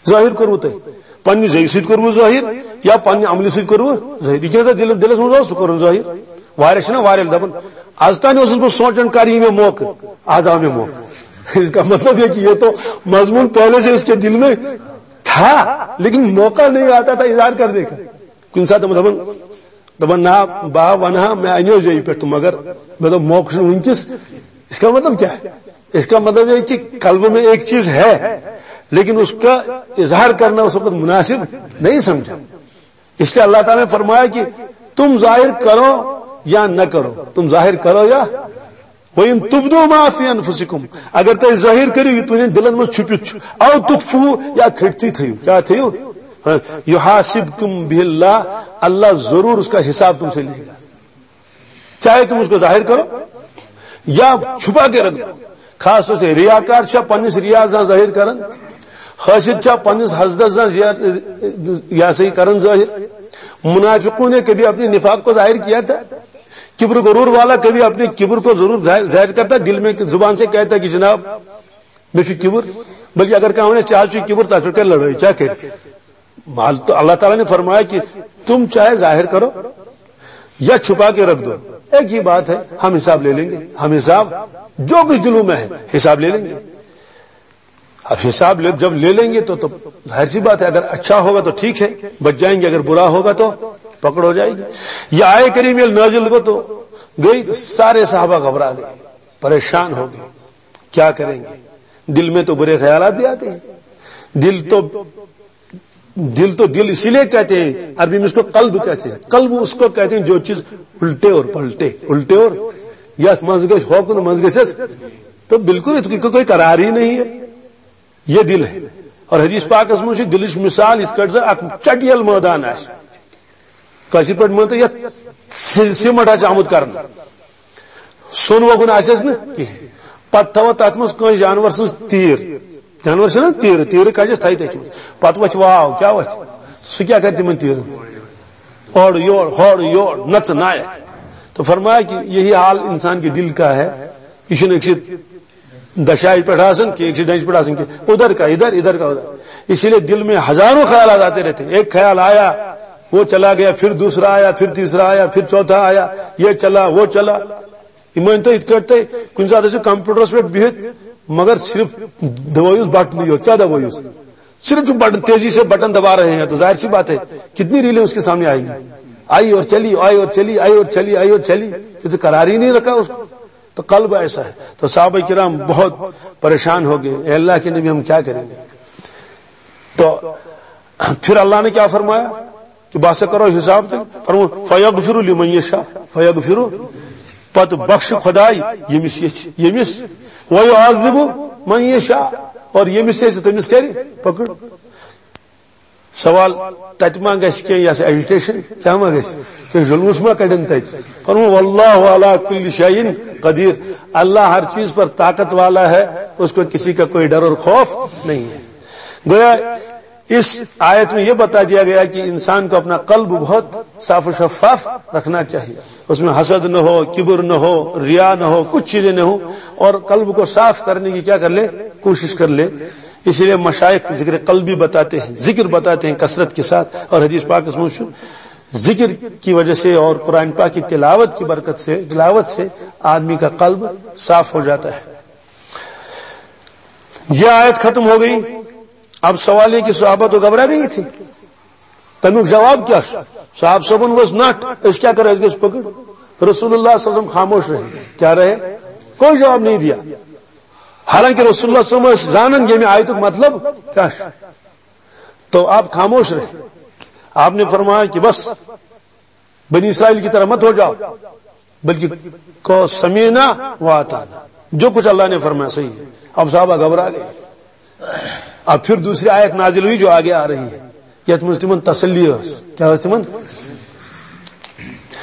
ظٲہِر کوٚروٕ تۄہہِ؟ پننہِ زیٚوِ سۭتۍ کوٚروٕ ظٲہِر یا پننہِ عملہِ سۭتۍ کوٚروٕ ظٲہِر؟ یہِ کینٛژھا دِل-، دِلس منٛز اوس، سُہ کوٚرُن ظٲہِر۔ واریاہ چھِنہ واریاہ دپان، از تام اوسُس بہٕ سونٛچان، کر یی مےٚ موقعہٕ، از آو مےٚ موقعہٕ۔ اس کا مطلب یہ کہ یہ تو مضمون پہلے سے اس کے دل میں تھا، لیکن موقع نہیں آتا تھا اظہار کرنے کا۔ کُنہِ ساتہٕ دپان، دپان، نہ، بہٕ ہا ونہٕ ہا، مےٚ انیو زیٚوِ پٮ۪ٹھ تہٕ مگر مےٚ دوٚپ، موقعہٕ چھُنہٕ وٕنکیٚس۔ اس کا مطلب کیا ہے؟ اس کا مطلب یہ کہ قلب میں ایک چیز ہے، لیکن اس کا اظہار کرنا اس وقت مناسب نہیں سمجھا۔ اس لیے اللہ تعالیٰ نے فرمایا کہ تم ظاہر کرو یا نہ کرو، تم ظاہر کرو یا، وَإِن تُبْدُوا مَا فِي أَنفُسِكُمْ، اگر تُہۍ ظٲہِر کٔرِو یہِ تُہٕنٛدٮ۪ن دِلن منٛز چھُپِتھ چھُ، أَوْ تُخْفُوهُ، یا کھٔٹتھٕے تھٲیِو، کیٛاہ تھٲیِو؟ ہاں، يُحَاسِبْكُم بِهِ اللَّهُ، اللہ ضرور اس کا حساب تم سے لے گا۔ چاہے تم اس کو ظاہر کرو یا چھپا کے رکھ دو۔ خاص طور سے ریاکار چھا پننِس ریا زن ظٲہِر کران، حاسد چھا پننِس حسدس زن زیا-، یا صحیح کران ظٲہِر۔ منافقوں نے کبھی اپنے نفاق کو ظاہر کیا تھا؟ کبر غرور والا کبھی اپنے کبر کو ضرور ظاہر، ظاہر کرتا، دل میں زبان سے کہتا کہ جناب میں چھُ کبر، بلکہ اگر کانٛہہ ونہِ ژےٚ حظ چھُے کبر، تتھ پٮ۪ٹھ کرِ لڑٲے، کیٛاہ کرِ؟ مال تو اللہ تعالیٰ نے فرمایا کہ تم چاہے ظاہر کرو یا چھپا کے رکھ دو، ایک ہی بات ہے، ہم حساب لے لیں گے، ہم حساب جو کچھ دلوں میں ہے حساب لے لیں گے۔ اب حساب لے، جب لے لیں گے تو، تو ظاہر سی بات ہے، اگر اچھا ہوگا تو ٹھیک ہے، بچ جائیں گے، اگر برا ہوگا تو پکڑ ہو جائے گی۔ یہ آئے کریم یہ نازل ہو تو گئی، سارے صحابہ گھبرا گئے، پریشان ہو گئے، کیا کریں گے؟ دل میں تو برے خیالات بھی آتے ہیں۔ دل تو، دل تو دل اسی لیے کہتے ہیں، عربی میں اس کو قلب کہتے ہیں۔ قلب اس کو کہتے ہیں جو چیز الٹے اور پلٹے، الٹے اور یتھ منٛز گژھِ ہوکُن، منٛز گژھٮ۪س، تو بالکل اس کی کوئی قرار ہی نہیں ہے۔ یہ دل ہے۔ اور حدیث پاکس منٛز چھُ دلٕچ مثال یِتھ کٲٹھۍ زن اکھ چٹیل مٲدان آسہِ۔ کٲشِر پٲٹھۍ مٲنۍ تو یتھ سی-، سیمٹ آسہِ آمُت کرنہٕ۔ سۄن وۄگُن آسٮ۪س نہٕ کِہیٖنۍ۔ پتہٕ تھاوو تتھ منٛز کٲنٛسہِ جانور سٕنٛز تیٖر۔ جانور چھِنہ تیٖرٕ، تیٖرٕ کجس تھایہِ تٔتھۍ منٛز۔ پتہٕ وۄتھِ واو، کیٛاہ وۄتھِ؟ سُہ کیٛاہ کرِ تِمن تیٖرن؟ اورٕ یور، ہورٕ یور، نژٕ نایہِ۔ تو فرمایا کہ یہی حال انسان کے دل کا ہے۔ یہ چھُنہٕ أکسٕے دشایہِ پٮ۪ٹھ آسان کینٛہہ، أکسٕے ڈنٛجہِ پٮ۪ٹھ آسان کینٛہہ، ادھر کا ادھر، ادھر کا ادھر۔ اسی لیے دل میں ہزاروں خیالات آتے رہتے ہیں۔ ایک خیال آیا، وہ چلا گیا، پھر دوسرا آیا، پھر تیسرا آیا، پھر چوتھا آیا، یہ چلا، وہ چلا۔ یہ مٲنۍ تو یِتھ کٲٹھۍ تُہۍ کُنہِ ساتہٕ ٲسِو کمپیوٹرس پٮ۪ٹھ بِہِتھ، مگر صرف دبٲیِوس بٹنٕے یوت۔ کیٛاہ دبٲیِوس؟ صرف چھُ بٹن، تیزی سے بٹن دبا رہے ہیں، تو ظاہر سی بات ہے کتنی ریلیں اس کے سامنے آئیں گی۔ آئی اور چلی، آئی اور چلی، آئی اور چلی، آئی اور چلی، پھر تو قرار ہی نہیں رکھا اس کو۔ تو قلب ایسا ہے۔ تو صحابہ کرام بہت پریشان ہو گئے، "اے اللہ کے نبی، ہم کیا کریں گے؟" تو پھر اللہ نے کیا فرمایا کہ بس کرو حساب تیٚلہِ۔ فرمو، "فیغفر لمن یشاء"، فیغفر، پتہٕ بخش خداے ییٚمِس یژھِ، ییٚمِس، "ویعذب من یشاء"، اور ییٚمِس یژھِ تٔمِس کرِ پکڑ۔ سوال، تتہِ ما گژھِ کینٛہہ یۄس ایجیٹیشن، کیٛاہ ما گژھِ؟ کینٛہہ جلوس ما کڑن تتہِ؟ فرمو، "واللہ علی کل شیء قدیر"، اللہ ہر چیز پر طاقت والا ہے، اس کو کسی کا کوئی ڈر اور خوف نہیں ہے۔ گویا اس آیت میں یہ بتا دیا گیا کہ انسان کو اپنا قلب بہت صاف و شفاف رکھنا چاہیے، اس میں حسد نہ ہو، کبر نہ ہو، ریا نہ ہو، کچھ چیزیں نہ ہو، اور قلب کو صاف کرنے کی کیا کر لے، کوشش کر لے۔ اسی لیے مشائخ ذکر قلبی بتاتے ہیں، ذکر بتاتے ہیں کثرت کے ساتھ، اور حدیث پاک اس میں ذکر کی وجہ سے اور قرآن پاک کی تلاوت کی برکت سے، تلاوت سے آدمی کا قلب صاف ہو جاتا ہے۔ یہ آیت ختم ہو گئی۔ اب سوال یہ کہ صحابہ تو گھبرا گئے تھے، تمیُک جواب کیا چھُ؟ صاحب صٲبن ؤژھ نٹھ، أسۍ کیٛاہ کرو، أسۍ گٔژھۍ پکڑ۔ رسول اللہ صلی اللہ علیہ وسلم خاموش رہے، کیا رہے؟ کوئی جواب نہیں دیا۔ حالانکہ رسول اللہ صلی اللہ علیہ وسلم ٲسۍ زانان ییٚمہِ آیتُک مطلب کیا چھُ۔ تو آپ خاموش رہے۔ آپ نے فرمایا کہ بس، بنی اسرائیل کی طرح مت ہو جاؤ، بلکہ کہو، "سمعنا و اطعنا"، جو کچھ اللہ نے فرمایا صحیح ہے۔ اب صحابہ گھبرا گئے۔ اب پھر دوسری آیت نازل ہوئی جو آگے آ رہی ہے، یتھ منٛز تمن تسلی ٲس۔ کیا ٲس تمن؟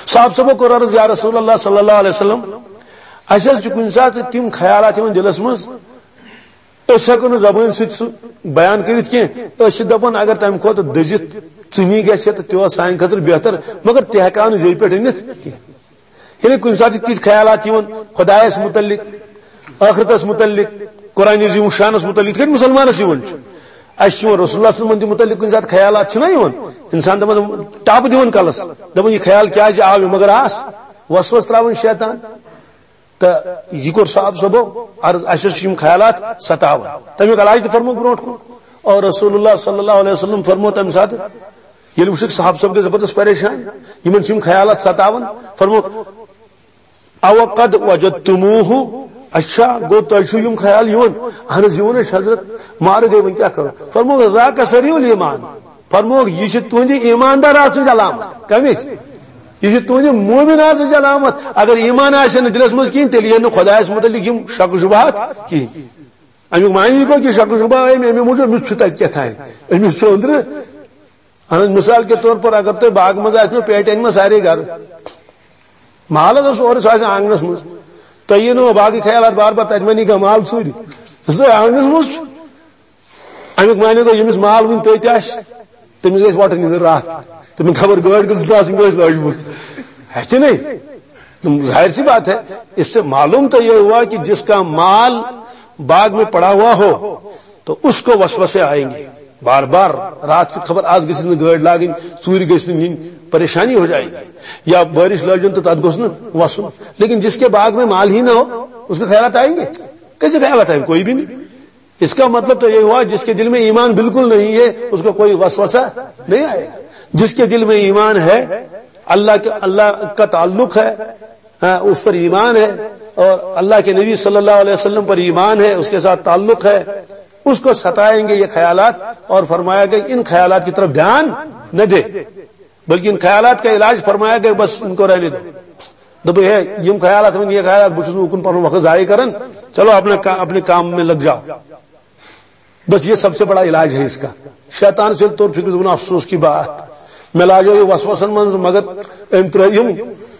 صحابہ صٲبو کوٚر عرض، "یا رسول اللہ صلی اللہ علیہ وسلم، اسہِ حظ چھِ کُنہِ ساتہٕ تِم خیالات یِوان دِلس منٛز، أسۍ ہٮ۪کو نہٕ زبٲنۍ سۭتۍ سُہ بیان کٔرِتھ کینٛہہ۔ أسۍ چھِ دَپان اگر تَمہِ کھۄتہٕ دٔزِتھ ژٕنی گژھِ ہا تہٕ تہِ اوس سانہِ خٲطرٕ بہتر، مگر تہِ ہٮ۪کو نہٕ زیٚوِ پٮ۪ٹھ أنِتھ کینٛہہ۔" یعنی کُنہِ ساتہٕ چھِ تِتھۍ خیالات یِوان خۄدایَس مُتعلِق، ٲخرتَس مُتعلِق، قرآن عظیٖم الشانَس مُتعلِق، یِتھ کٔنۍ مُسلمانَس یِوان چھُ۔ اَسہِ چھِ یِوان رسول اللہ صلی اللہ علیہ وسلم تہِ مُتعلِق کُنہِ ساتہٕ خیالات چھِنہ یِوان، اِنسان دَپان، ٹَپہٕ دِوان کَلَس، دَپان، "یہِ خیال کیٛازِ آو مےٚ؟" مگر آس وسوَس ترٛاوان شیطان۔ تہٕ یہِ کوٚر صاحب صٲبو عرض، اَسہِ حظ چھِ یِم خیالات ستاوان۔ تَمیُک علاج تہِ فرموو برونٛٹھ کُن۔ اور رسول اللہ صلی اللہ علیہ وسلم فرموو تَمہِ ساتہٕ، ییٚلہِ وٕچھُکھ صاحب صٲب گٔے زبردست پریشان، یِمن چھِ یِم خیالات ستاوان، فرموو، "او قد وجدتموہ"، اچھا، گوٚو تۄہہِ چھُو یِم خیال یِوان؟ اہن حظ، یِوان حظ چھِ حضرت، مارٕ گٔے، وۄنۍ کیٛاہ کرو؟ فرمووُکھ، "ذاک سریع الایمان"، فرمووُکھ، یہِ چھِ تُہنٛدِ ایٖماندار آسنٕچ علامت۔ کَمِچ؟ یہِ چھِ تُہنٛدِ مومن آسنٕچ علامت۔ اگر ایٖمان آسہِ نہٕ دِلس منٛز کِہیٖنۍ، تیٚلہِ یِن نہٕ خۄدایس مُتعلق یِم شک و شبہات کِہیٖنۍ۔ اَمیُک معنی یہِ گوٚو کہِ شک و شبہ آیہِ مےٚ اَمہِ موٗجوٗب، مےٚ چھُ تَتہِ کیٛاہ تام، أمِس چھُ أنٛدرٕ۔ اہن حظ، مثال کے طور پر اگر تۄہہِ باغہٕ منٛز آسہِ نہٕ پیٹہِ اَنہِ منٛز سارے گرٕ، مال حظ اوس اورٕ، سُہ آسہِ آنٛگنَس منٛز، تۄہہِ یِیہِ نہٕ باغٕکۍ خیالات بار بار، تَتہِ ما نی کانٛہہ مال ژوٗرِ؟ سُہ آنٛگنَس منٛز چھُ۔ اَمیُک معنی گوٚو، ییٚمِس مال وُنہِ تٔتۍ آسہِ، تٔمِس گژھِ وۄٹہٕ نِنٛدٕر راتھ کیُتھ۔ تٔمِس خبر گٲڑۍ کۭژ آسٕنۍ کٲنٛسہِ لٲجمٕژ۔ ہے کہِ نہیں؟ تم ظاہر سی بات ہے، اس سے معلوم تو یہ ہوا کہ جس کا مال باغ میں پڑا ہوا ہو تو اس کو وسوسے آئیں گے۔ بار بار رات کی خبر، آز گژھِ نہٕ گٲڑۍ لاگٕنۍ، ژوٗرِ گژھِ نہٕ نِنۍ، پریشانی ہو جائے گی۔ یا بارش لٲجن تو تتھ گوٚژھ نہٕ وسُن۔ لیکن جس کے باغ میں مال ہی نہ ہو، اس کے خیالات آئیں گے؟ کیسے خیالات آئیں گے؟ کوئی بھی نہیں۔ اس کا مطلب تو یہ ہوا، جس کے دل میں ایمان بالکل نہیں ہے، اس کو کوئی وسوسہ نہیں آئے گا۔ جس کے دل میں ایمان ہے، اللہ کے، اللہ کا تعلق ہے، ہاں، اس پر ایمان ہے اور اللہ کے نبی صلی اللہ علیہ وسلم پر ایمان ہے، اس کے ساتھ تعلق ہے، اس کو ستائیں گے یہ خیالات، اور فرمایا کہ ان خیالات کی طرف دھیان نہ دے، بلکہ ان خیالات کا علاج فرمایا کہ بس ان کو رہنے دو۔ دوٚپُن، ہے، یِم خیالات، وۄنۍ یہِ خیالات، بہٕ چھُس نہٕ اُکُن پنُن وقت ضائع کران، چلو اپنے کا-، اپنے کام میں لگ جاؤ۔ بس یہ سب سے بڑا علاج ہے اس کا۔ شیطان سے تو فکر، دوٚپُن، افسوس کی بات، مےٚ لاجو یہِ وسوسن منٛز، مگر أمۍ ترٛٲے یِم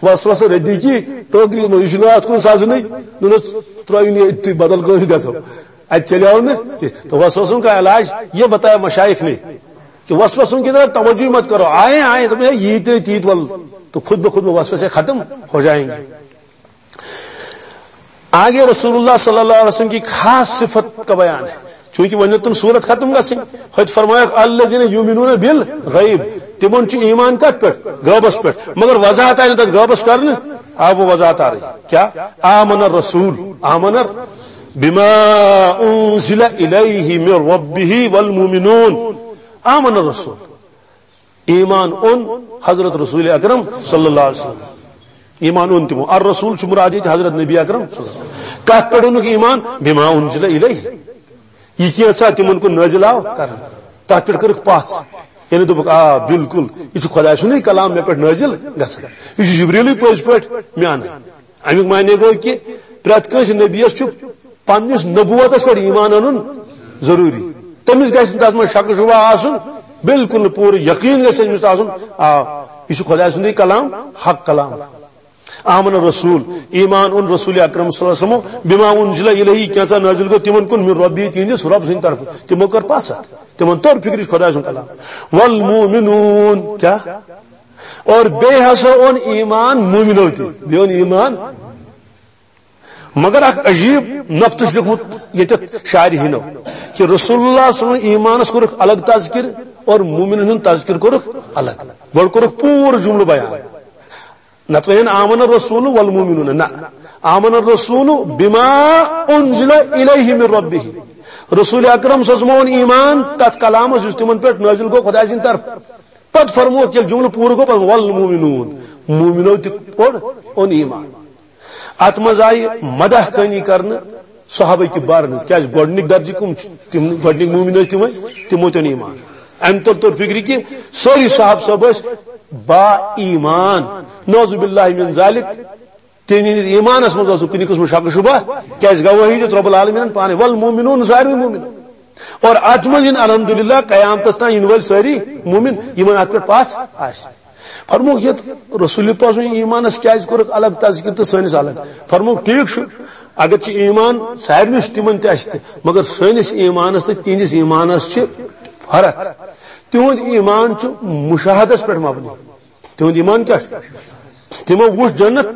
وسوسہٕ ردی کی ٹوکری منٛز، یہِ چھُنہٕ اتھ کُن سزنٕے۔ دوٚپنس، ترٛٲیِو نہٕ ییٚتہِ، بدل کٲنٛسہِ گژھو، اتہِ چلیو نہٕ کینٛہہ۔ تو وسوسن کا علاج یہ بتایا مشائخ نے کہ وسوسوں کی طرف توجہ مت کرو، آئے آئے، تمہیں یہ تیت ول، تو خود بخود وہ وسوسے ختم ہو جائیں گے۔ آگے رسول اللہ صلی اللہ علیہ وسلم کی خاص صفت کا بیان ہے، چونکہ وۄنۍ تم صورت ختم گژھن، خود فرمایا، "الذین یؤمنون بالغیب"، تمن چھُ ایمان کتھ پٮ۪ٹھ؟ غیبس پٮ۪ٹھ۔ مگر وضاحت آئی نہٕ تتھ غیبس کرنہٕ، آ وہ وضاحت آ رہی۔ کیا؟ آمن الرسول، آمن بما انزل الیہ من ربہ والمؤمنون۔ آمن الرسول، ایمان اوٚن حضرت رسول اکرم صلی اللہ علیہ وسلم۔ ایمان اوٚن تِمو۔ الرسول چھُ مراد ییٚتہِ حضرت نبی اکرم صلی اللہ علیہ وسلم۔ کتھ پٮ۪ٹھ اوٚنُکھ ایمان؟ بما انزل الیہ۔ یہِ کینٛژھا تِمن کُن نٲزِل آو کرنہٕ، تتھ پٮ۪ٹھ کٔرٕکھ پژھ۔ یعنی دوٚپُکھ، آ، بالکل، یہِ چھُ خۄداے سُنٛدُے کلام مےٚ پٮ۪ٹھ نٲزِل گژھان۔ یہِ چھُ جبریلٕے پٔزۍ پٲٹھۍ مےٚ انان۔ امیُک معنی گوٚو کہِ پرٛٮ۪تھ کٲنٛسہِ نبیَس چھُ پننِس نبوتس پٮ۪ٹھ ایمان انُن ضروٗری۔ تٔمِس گژھِ نہٕ تتھ منٛز شک و شبہ آسُن، بالکل نہٕ، پوٗرٕ یقین گژھِ أمِس آسُن، آ، یہِ چھُ خۄداے سُنٛدُے کلام، حق کلام۔ آمن الرسول، ایمان اوٚن رسول اکرم صلی اللہ علیہ وسلم، بما انزل الیہ، کینٛژھا نٲزِل گوٚو تِمن کُن، من ربی، تِہنٛدِس رب سٕنٛدِ طرفہٕ۔ تِمو کٔر پژھ اتھ، تِمن توٚر فکرِ چھُ خۄداے سُنٛد کلام۔ والمؤمنون، کیا؟ اور بیٚیہِ ہسا اوٚن ایمان مومنو تہِ، بیٚیہِ اوٚن ایمان۔ مگر اکھ عجیب نۄقطہٕ چھُ لیوٚکھمُت ییٚتٮ۪تھ شارحینو، کہِ رسول اللہ صلی اللہ علیہ وسلم ایمانس کوٚرُکھ الگ تذکر اور مومنن ہُنٛد تذکر کوٚرُکھ الگ۔ گۄڈٕ کوٚرُکھ پوٗرٕ جملہٕ بیان۔ نتہٕ وَنن آمن الرسول والمؤمنون، نہ، آمن الرسول بما انزل الیہ من ربہ۔ رسول اکرم صلی اللہ علیہ وسلم اوٚن ایمان تتھ کلامس یُس تِمن پٮ۪ٹھ نٲزِل گوٚو خۄداے سٕنٛدِ طرفہٕ۔ پتہٕ فرمووُکھ ییٚلہِ جملہٕ پوٗرٕ گوٚو، پتہٕ والمؤمنون، مومنو تہِ پوٚر اوٚن ایمان۔ اتھ منٛز آیہِ مدح خٲنی کرنہٕ صحابہ کبارن ہٕنٛز۔ کیازِ؟ گۄڈنِکۍ درجہٕ کٕم چھِ؟ تِم گۄڈنِکۍ مومن ٲسۍ تِمے، تِمو تہِ اوٚن ایمان۔ امہِ تل توٚر فکرِ کہِ سٲری صحابہ صٲب ٲسۍ با ایمان، نعوذ باللہ من ذالک۔ تِہنٛدِس ایمانس منٛز اوس نہٕ کُنہِ قٕسمُک شک و شبہ، کیازِ گوٲہی دِژ رب العالمینن پانے، والمؤمنون، ساروی مومن۔ اور اتھ منٛز یِن الحمدللہ قیامتس تام یِنہٕ وٲلۍ سٲری مومن، یِمن اتھ پٮ۪ٹھ پژھ آسہِ۔ فرمووُکھ یتھ رسول پاک سٕنٛدِس ایمانس کیازِ کوٚرُکھ الگ تذکر تہٕ سٲنِس الگ؟ فرمووُکھ ٹھیک چھُ، اگر چھُ ایمان سارنٕے چھُ تِمن تہِ اسہِ تہِ، مگر سٲنِس ایمانس تہٕ تِہنٛدِس ایمانس چھِ فرق۔ تِہُنٛد ایمان چھُ مشاہدس پٮ۪ٹھ مبنی۔ تِہُنٛد ایمان کیٛاہ چھُ؟ تِمو وُچھ جنت،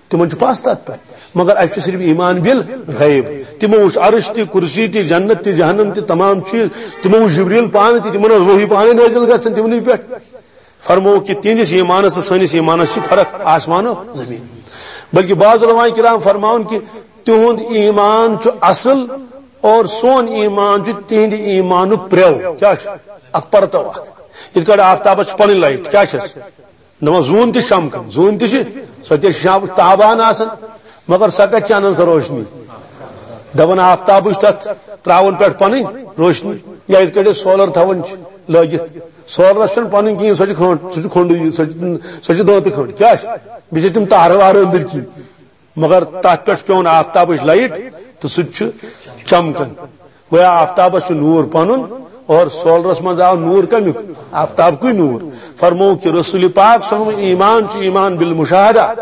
تِمن چھُ پژھ تتھ پٮ۪ٹھ، مگر اسہِ چھُ صرف ایمان بالغیب۔ تِمو وُچھ عرش تہِ، کرسی تہِ، جنت تہِ، جہنم تہِ، تمام چیز۔ تِمو وُچھ جبریل پانہٕ تہِ، تِمن ٲس وحی پانے نٲزِل گژھان تِمنٕے پٮ۪ٹھ۔ فرمووُکھ کہِ تِہنٛدِس ایمانس تہٕ سٲنِس ایمانس چھِ فرق آسمان و زمین۔ بلکہ بعض علماء کرام فرماوان کہِ تِہُنٛد ایمان چھُ اصل اور سون ایمان چھُ تِہنٛدِ ایمانُک پرٛٮ۪و۔ کیٛاہ چھُ؟ اکھ پرتو اکھ۔ یِتھ کٲٹھۍ آفتابس چھِ پنٕنۍ لایٹ، کیٛاہ چھَس؟ دپان زوٗن تہِ چھِ چمکان، زوٗن تہِ چھِ، سۄ تہِ چھِ شام تابان آسان۔ مگر سۄ کتہِ چھِ انان سۄ روشنی؟ دپان آفتابٕچ تتھ تراوان پٮ۪ٹھ پنٕنۍ روشنی، یا یِتھ کٲٹھۍ أسۍ سولر تھاوان چھِ لٲگِتھ۔ سولرس چھنہٕ پنٕنۍ کِہیٖنۍ، سۄ چھِ کھنٛڈ، سۄ چھِ کھنٛڈٕے، سۄ چھِ، سۄ چھِ دٲنتہٕ کھنٛڈ۔ کیٛاہ چھِ؟ بیٚیہِ چھِ تِم تارٕ وارٕ أنٛدٕرۍ کِنۍ۔ مگر تتھ پٮ۪ٹھ چھُ پٮ۪وان آفتابٕچ لایٹ تہٕ سُہ تہِ چھُ چمکان۔ گویا آفتابس چھُ نور پنُن اور سولرس منٛز آو نور کمیُک؟ آفتابکُے نور۔ فرموو کہِ رسول پاک صلی اللہ علیہ وسلم ایمان چھُ ایمان بالمشاہدہ۔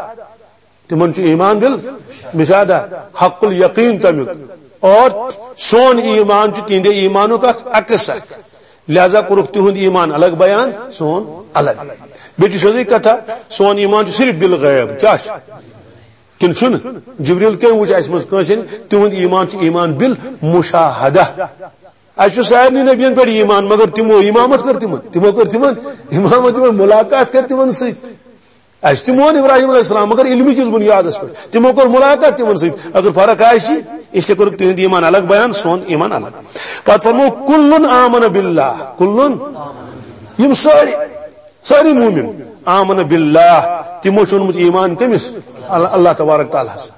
تِمن چھُ ایمان بالمشاہدہ، حق الیقین تمیُک۔ اور سون ایمان چھُ تِہنٛدِ ایمانُک اکھ عکس اکھ۔ لہذا کوٚرُکھ تِہُنٛد ایمان الگ بیان، سون الگ۔ بیٚیہِ چھِ سیوٚدُے کتھا، سون ایمان چھُ صرف بالغیب۔ کیٛاہ چھُ؟ کِنہٕ چھُنہٕ؟ جبریل کٔمۍ وُچھ اَسہِ منٛز کٲنٛسہِ؟ تِہُنٛد ایمان چھُ ایمان بالمشاہدہ۔ اَسہِ چھُ سارنٕے نبیَن پٮ۪ٹھ ایمان، مگر تِمو امامت کٔر تِمن، تِمو کٔر تِمن امامت، تِمن ملاقات کٔر تِمن سۭتۍ۔ اَسہِ تہِ مون ابراہیم علیہ السلام، مگر علمی کِس بُنیادس پٮ۪ٹھ۔ تِمو کوٚر ملاقات تِمن سۭتۍ۔ اگر فرق آسہِ، اس لیے کوٚرُکھ تِہُنٛد ایمان الگ بیان، سون ایمان الگ۔ پتہٕ فرموو، "کُلُّن آمَنَ بِاللہ"، کُلُّن، یِم سٲری، سٲری مومن، "آمَنَ بِاللہ"، تِمو چھُ اوٚنمُت ایمان کٔمِس؟ اللہ، اللہ تبارک تعالیٰ ہس۔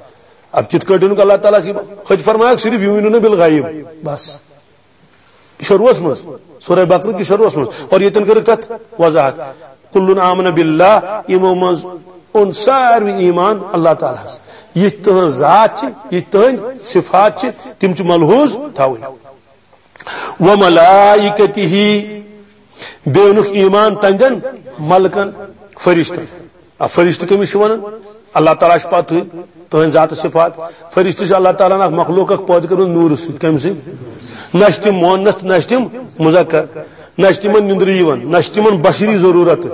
اب کِتھ کٲٹھۍ اوٚنُکھ اللہ تعالیٰ ہس؟ خود فرمایکھ صرف "یؤمنون بالغیب"، بس۔ شروعس منٛز، سورہ بقرہ کِس شروعس منٛز، اور ییٚتٮ۪ن کٔرٕکھ تتھ وضاحت، "کُلُّن آمَنَ بِاللہ"، یِمو منٛز اوٚن ساروی ایمان اللہ تعالیٰ ہس۔ یِتھ تٕہٕنٛز ذات چھِ، یِتھ تٕہٕنٛدۍ صفات چھِ، تِم چھِ ملحوظ تھاوٕنۍ۔ "وَمَلَائِکَتِهِ"، بیٚیہِ اوٚنُکھ ایمان تنٛدٮ۪ن ملکن، فرشتن۔ آ، فرشتہٕ کٔمِس چھِ ونان؟ اللہ تعالیٰ چھُ پتہٕ تُہنٛدۍ ذات صفات۔ فرشتہٕ چھِ اللہ تعالیٰ ہن اکھ مخلوق اکھ پٲدٕ کٔرمٕژ نوٗرٕ سۭتۍ۔ کمہِ سۭتۍ؟ نہ چھِ تِم مؤنث، نہ چھِ تِم مذکر، نہ چھِ تِمن نِندرٕ یِوان، نہ چھِ تِمن بشری ضروٗرت۔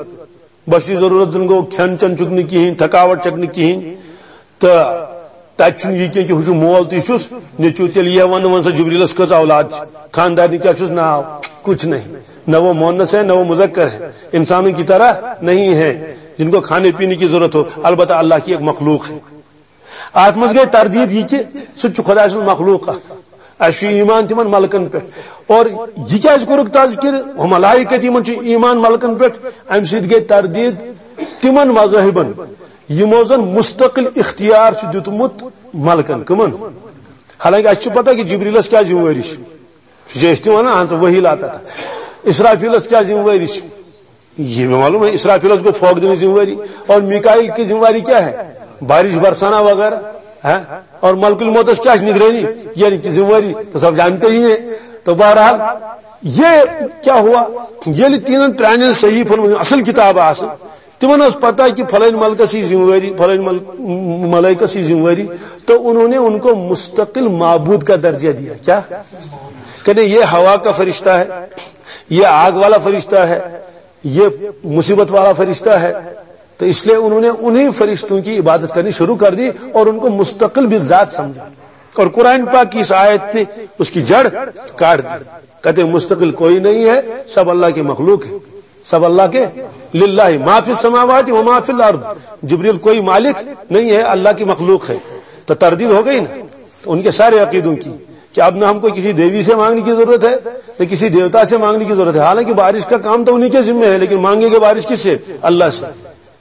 بشری ضروٗرت زن گوٚو کھٮ۪ن چٮ۪ن چھُکھ نہٕ کِہینۍ، تھکاوٹ چھکھ نہٕ کِہینۍ۔ تہٕ تتہِ چھُنہٕ یہِ کینٛہہ کہِ ہُہ چھُ مول تہٕ یہِ چھُس نیٚچوٗ۔ تیٚلہِ یہِ ونہٕ وۄنۍ سا جبریلس کٔژ اولاد چھِ، خاندارنہِ کیٛاہ چھُس ناو؟ کچھ نہیں۔ نہ وہ مؤنث ہے، نہ وہ مذکر ہے، انسانوں کی طرح نہیں ہے جن کو کھانے پینے کی ضرورت ہو، البتہ اللہ کی ایک مخلوق ہے۔ اتھ منٛز گٔے تردید یہِ کہِ سُہ تہِ چھُ خۄداے سُنٛد مخلوق اکھ۔ اسہِ چھُ ایمان تِمن ملکن پٮ۪ٹھ۔ اور یہِ کیٛازِ کوٚرُکھ تذکر؟ ہُہ ملائکت، یِمن چھُ ایمان ملکن پٮ۪ٹھ۔ امہِ سۭتۍ گٔے تردید تِمن مذاہبن، یِمو زن مستقل اختیار چھُ دیُتمُت ملکن۔ کٕمن؟ حالانکہ اسہِ چھُ پتہ کہِ جبریلس کیٛاہ ذمہٕ وٲری چھِ۔ یہِ چھِ أسۍ تہِ ونان، اہن سا، وحی لاتا تھا۔ اسرافیلس کیٛاہ ذمہٕ وٲری چھِ؟ یہ بھی معلوم ہے، اسرافیلس کو پھونک دینے کی ذمہ واری۔ اور میکائیل کی ذمہ واری کیا ہے؟ بارش برسانا وغیرہ، ہے؟ اور ملک الموتس کیا نگرانی، یعنی کہ ذمہ واری تو سب جانتے ہی ہیں۔ تو بہرحال، یہ کیا ہوا؟ ییٚلہِ تینن پرانٮ۪ن صحیفن منٛز اصل کتاب آسہٕ، تِمن ٲس پتہ کہ فلٲنۍ ملکس یہِ ذمہ واری، فلٲنۍ مل-، ملائکس یہِ ذمہ واری، تو انہوں نے ان کو مستقل معبود کا درجہ دیا۔ کیا؟ کہتے ہیں، یہ ہوا کا فرشتہ ہے، یہ آگ والا فرشتہ ہے، یہ مصیبت والا فرشتہ ہے۔ تو اس لیے انہوں نے انہیں فرشتوں کی عبادت کرنی شروع کر دی اور ان کو مستقل بالذات سمجھا۔ اور قرآن پاک کی اس آیت نے اس کی جڑ کاٹ دی۔ کہتے ہیں، مستقل کوئی نہیں ہے، سب اللہ کی مخلوق ہے، سب اللہ کے، للہ ما فی السماوات و ما فی الارض۔ جبریل کوئی مالک نہیں ہے، اللہ کی مخلوق ہے۔ تو تردید ہو گئی نا ان کے سارے عقیدوں کی، کہ اب نہ ہم کو کسی دیوی سے مانگنے کی ضرورت ہے، نہ کسی دیوتا سے مانگنے کی ضرورت ہے۔ حالانکہ بارش کا کام تو انہیں کے ذمے ہے، لیکن مانگیں گے بارش کس سے؟ اللہ سے۔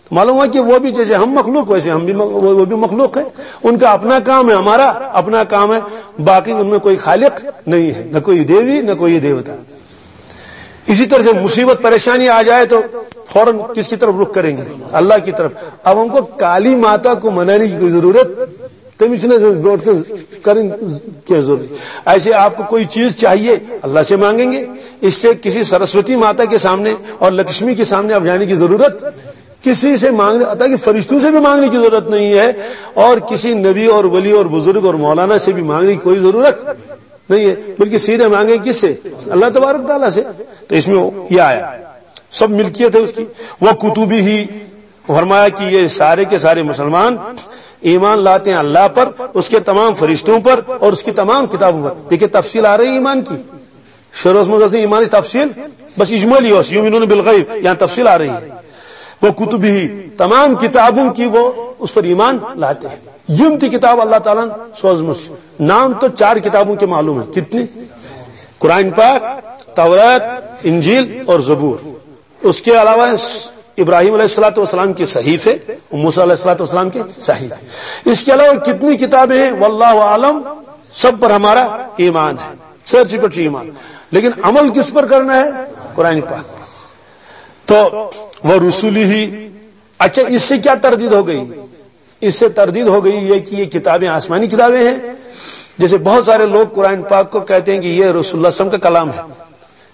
تو معلوم ہوا کہ وہ بھی جیسے ہم مخلوق، ویسے ہم بھی مخ-، وہ، وہ بھی مخلوق ہے۔ ان کا اپنا کام ہے، ہمارا اپنا کام ہے۔ باقی ان میں کوئی خالق نہیں ہے، نہ کوئی دیوی، نہ کوئی دیوتا۔ اسی طرح سے مصیبت پریشانی آ جائے تو فوراً کس کی طرف رخ کریں گے؟ اللہ کی طرف۔ اب ہم کو کالی ماتا کو منانے کی کوئی ضرورت، تمِچ چھنہٕ برونٛٹھ کُن کرٕنۍ کینٛہہ ضروٗری۔ ایسے آپ کو کوئی چیز چاہیے، اللہ سے مانگیں گے۔ اس سے کسی सरस्वती माता के सामने और लक्ष्मी के सामने आप जाने की जरूरत, किसी से मांगने, حتیٰ کہ فرشتوں سے بھی مانگنے کی ضرورت نہیں ہے، اور کسی نبی اور ولی اور بزرگ اور مولانا سے بھی مانگنے کی کوئی ضرورت نہیں ہے، بلکہ سیدھے مانگیں کس سے؟ اللہ تبارک تعالیٰ سے۔ تو اس میں یہ آیا، سب ملکیت ہے اس کی۔ وَكُتُبِهِ، فرمایا کہ یہ سارے کے سارے مسلمان ایمان لاتے ہیں اللہ پر، اس کے تمام فرشتوں پر اور اس کی تمام کتابوں پر۔ دیکھیے، تفصیل آ رہی ہے ایمان کی۔ شروعس منٛز ٲس نہٕ ایمانٕچ تفصیل، بس اجمالی اوس، یؤمنون بالغیب، یہاں تفصیل آ رہی ہے۔ وَكُتُبِهِ، تمام کتابوں کی وہ اس پر ایمان لاتے ہیں۔ یِم تہِ کتاب اللہ تعالیٰ ہن سوزمٕژ چھِ۔ نام تو چار کتابوں کے معلوم ہے۔ کتنی؟ قرآن پاک، تورات، انجیل اور زبور۔ اس کے علاوہ س-، ابراہیم علیہ الصلوۃ والسلام کے صحیفے، موسیٰ علیہ الصلوۃ والسلام کے صحیفے۔ اس کے علاوہ کتنی کتابیں ہیں، واللہ عالم، سب پر ہمارا ایمان ہے، سر سی پر ایمان۔ لیکن عمل کس پر کرنا ہے؟ قرآن پاک پر۔ تو وہ رسولی ہی، اچھا، اس سے کیا تردید ہو گئی؟ اس سے تردید ہو گئی یہ کہ یہ کتابیں آسمانی کتابیں ہیں۔ جیسے بہت سارے لوگ قرآن پاک کو کہتے ہیں کہ یہ رسول اللہ صلی اللہ علیہ وسلم کا کلام ہے۔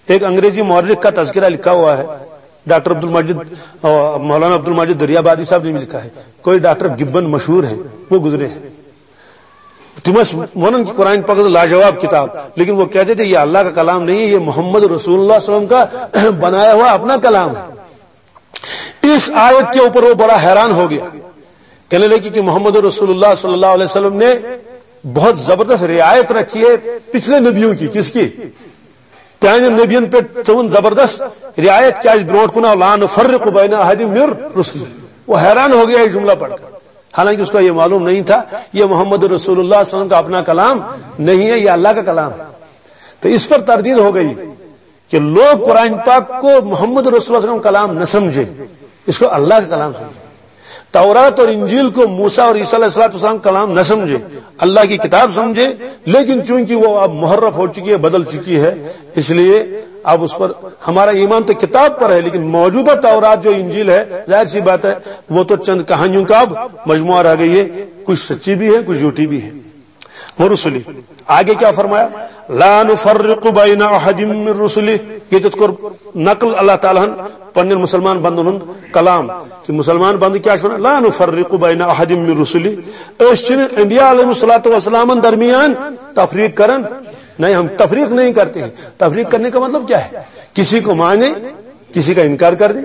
ایک انگریزی مورخ کا تذکرہ لکھا ہوا ہے، ڈاکٹر عبد المجید، مولانا عبد المجید دریا آبادی صاحب نے بھی لکھا ہے، کوئی ڈاکٹر گبن مشہور ہیں، وہ گزرے ہیں۔ تم ٲسۍ ونان کہ قرآن پاک لاجواب کتاب، لیکن وہ کہتے تھے یہ اللہ کا کلام نہیں ہے، یہ محمد رسول اللہ صلی اللہ علیہ وسلم کا بنایا ہوا اپنا کلام ہے۔ اس آیت کے اوپر وہ بڑا حیران ہو گیا، کہنے لگے کہ محمد رسول اللہ صلی اللہ علیہ وسلم نے بہت زبردست رعایت رکھی ہے پچھلے نبیوں کی۔ کس کی؟ پرانٮ۪ن نبین پہ تھٲوٕن زبردست رعایت، کیازِ برونٹھ کُن آو لا نفرق بین احد من رسل۔ وہ حیران ہو گیا یہ جملہ پڑھ کر، حالانکہ اس کو یہ معلوم نہیں تھا یہ محمد رسول اللہ صلی اللہ علیہ وسلم کا اپنا کلام نہیں ہے، یہ اللہ کا کلام ہے۔ تو اس پر تردید ہو گئی کہ لوگ قرآن پاک کو محمد رسول اللہ صلی اللہ علیہ وسلم کا کلام نہ سمجھے، اس کو اللہ کا کلام سمجھے۔ تورات اور انجیل کو موسیٰ اور عیسیٰ علیہ الصلوۃ والسلام کا کلام نہ سمجھے، اللہ کی کتاب سمجھے، لیکن چونکہ وہ اب محرف ہو چکی ہے، بدل چکی ہے، اس لیے اب اس پر ہمارا ایمان تو کتاب پر ہے، لیکن موجودہ تورات جو انجیل ہے، ظاہر سی بات ہے، وہ تو چند کہانیوں کا اب مجموعہ رہ گئی ہے، کچھ سچی بھی ہے، کچھ جھوٹی بھی ہے۔ ورسلی، آگے کیا فرمایا؟ لا نفرق بین احد من رسلی۔ یہ تو کر نقل اللہ تعالیٰ ہن پنن مسلمان بندن ہن کلام کہ مسلمان بند کیا چھن؟ لا نفرق بین احد من رسلی۔ اس چھن انبیاء علیہ الصلوۃ والسلام درمیان تفریق کرن، نہیں، ہم تفریق نہیں کرتے ہیں۔ تفریق کرنے کا مطلب کیا ہے؟ کسی کو مانے، کسی کا انکار کر دیں۔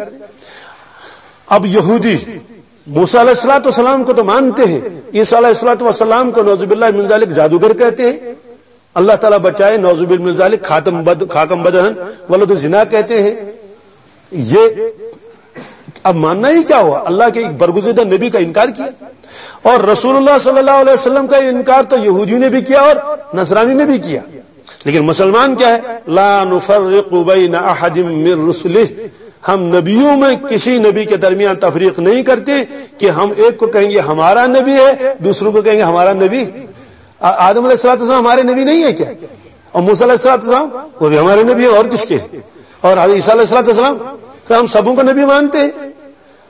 اب یہودی موسیٰ علیہ الصلوۃ والسلام کو تو مانتے ہیں، عیسیٰ علیہ الصلوۃ والسلام کو نعوذ باللہ من ذالک جادوگر کہتے ہیں، اللہ تعالیٰ بچائے، نعوذ باللہ من ذالک، خاتم بد، خاکم بدہن، ولد زنا کہتے ہیں۔ یہ اب ماننا ہی کیا ہوا؟ اللہ کے ایک برگزیدہ نبی کا انکار کیا۔ اور رسول اللہ صلی اللہ علیہ وسلم کا انکار تو یہودیوں نے بھی کیا اور نصرانی نے بھی کیا۔ لیکن مسلمان کیا ہے؟ لا نفرق بین احد من رسلہ، ہم نبیوں میں کسی نبی کے درمیان تفریق نہیں کرتے کہ ہم ایک کو کہیں گے ہمارا نبی ہے، دوسروں کو کہیں گے ہمارا نبی۔ آ-، آدم علیہ الصلوۃ والسلام ہمارے نبی نہیں ہے کیا؟ اور موسیٰ علیہ الصلوۃ والسلام وہ بھی ہمارے نبی ہیں، اور کس کے؟ اور حضرت عیسیٰ علیہ الصلوۃ والسلام تو ہم سبوں کو نبی مانتے ہیں۔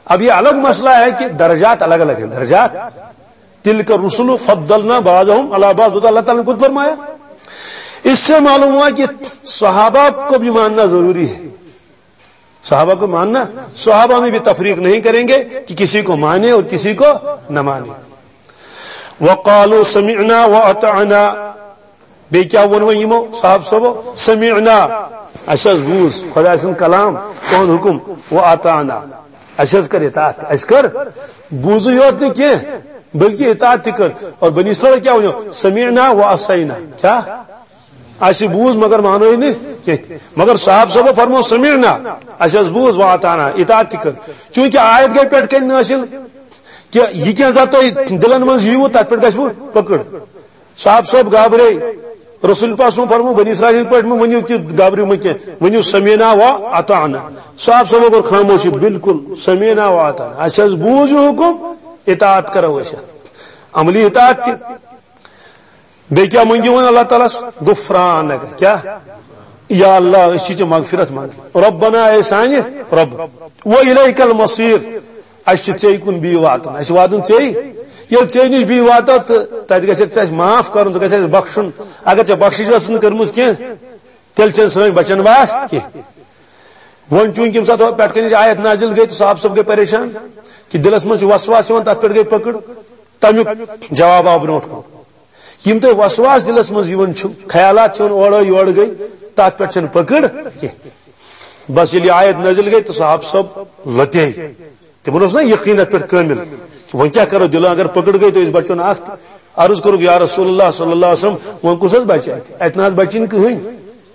اب یہ الگ مسئلہ ہے کہ درجات الگ الگ ہیں، درجات۔ تلک الرسل فضلنا بعضهم علی بعض، تو اللہ تعالیٰ نے خود فرمایا۔ اس سے معلوم ہوا کہ صحابہ کو بھی ماننا ضروری ہے، صحابہ کو ماننا، صحابہ میں بھی تفریق نہیں کریں گے کہ کسی کو مانے اور کسی کو نہ مانے۔ وقالوا سمعنا واطعنا، بیٚیہِ کیٛاہ ووٚن وۄنۍ یِمو صحابہٕ صٲبو؟ سمعنا، اَسہِ حظ بوٗز خۄداے سُنٛد کلام، تُہُنٛد حُکُم، واطعنا، اَسہِ حظ کٔر اطاعت، اَسہِ کٔر، بوٗزٕے یوت نہٕ کینٛہہ، بلکہِ اطاعت تہِ کٔر۔ اور بنی اسرائیل کیٛاہ وَنیو؟ سمعنا وعصینا۔ کیٛاہ؟ اَسہِ بوٗز مگر مانوٕے نہٕ کینٛہہ۔ مگر صحابہٕ صٲبو فرموو سمعنا، اَسہِ حظ بوٗز، واطعنا، اطاعت تہِ کٔر۔ چوٗنٛکہِ آیت گٔے پٮ۪ٹھ کَنہِ نٲصِل کہِ یہِ کینٛہہ زَن تۄہہِ دِلَن منٛز یِیوٕ، تَتھ پٮ۪ٹھ گژھِ وۄنۍ پٔکٕڑ۔ صاحب صٲب گابرے، رسول پاک سُنٛد فرمو، بنی اسرائیل پٲٹھۍ مہٕ ؤنِو کہِ گابرِو مہٕ کینٛہہ، ؤنِو سمعنا و اطعنا۔ صاحب صٲبو کوٚر خاموشی، بالکل سمعنا و اطعنا، اَسہِ حظ بوٗز یہِ حُکُم، اطاعت کرو أسۍ، عملی اطاعت تہِ۔ بیٚیہِ کیٛاہ مٔنٛگِو وۄنۍ اللہ تعالیٰ ہَس؟ غفرانک، کیٛاہ؟ یا اللہ، أسۍ چھِ ژےٚ مغفرت منٛگان۔ ربنا، اے سانہِ رب، و الیک المصیر، اَسہِ چھُ ژےٚ کُن بیٚیہِ واتُن، اَسہِ چھُ واتُن ژےٚ۔ ییٚلہِ ژےٚ نِش بیٚیہِ واتو تہٕ تَتہِ گژھکھ ژٕ اَسہِ معاف کَرُن، ژٕ گژھِ اَسہِ بخشُن۔ اگر ژےٚ بخشِش ٲسٕن کٔرمٕژ کینٛہہ، تیٚلہِ چھَنہٕ سٲنۍ بچن وار کینٛہہ۔ وۄنۍ چوٗنٛکہِ ییٚمہِ ساتہٕ پٮ۪ٹھ کَنِچ آیت نازِل گٔے تہٕ صاحب صٲب گٔے پریشان کہِ دِلَس منٛز چھِ وسواس یِوان، تَتھ پٮ۪ٹھ گٔے پٔکٕڑ۔ تَمیُک جواب آو برونٛٹھ کُن۔ یِم تۄہہِ وسواس دِلَس منٛز یِوان چھِو، خیالات چھِ یِوان اورٕ یورٕ گٔے، تَتھ پٮ۪ٹھ چھَنہٕ پٔکٕڑ کینٛہہ۔ بس ییٚلہِ یہِ آیت نٲزِل گٔے تہٕ صاحب صٲب لۄتے۔ تِمن اوس نا یقین اتھ پٮ۪ٹھ کٲمِل۔ وۄنۍ کیٛاہ کرو، دِلہٕ اگر پٔکٕڑ گٔے تہٕ أسۍ بچو نہٕ اکھ تہِ۔ عرض کوٚرُکھ، یا رسول اللہ صلی اللہ علیہ وسلم، وۄنۍ کُس حظ بچہِ اتہِ؟ اتہِ نہ حظ بچہِ نہٕ کٕہٕنۍ۔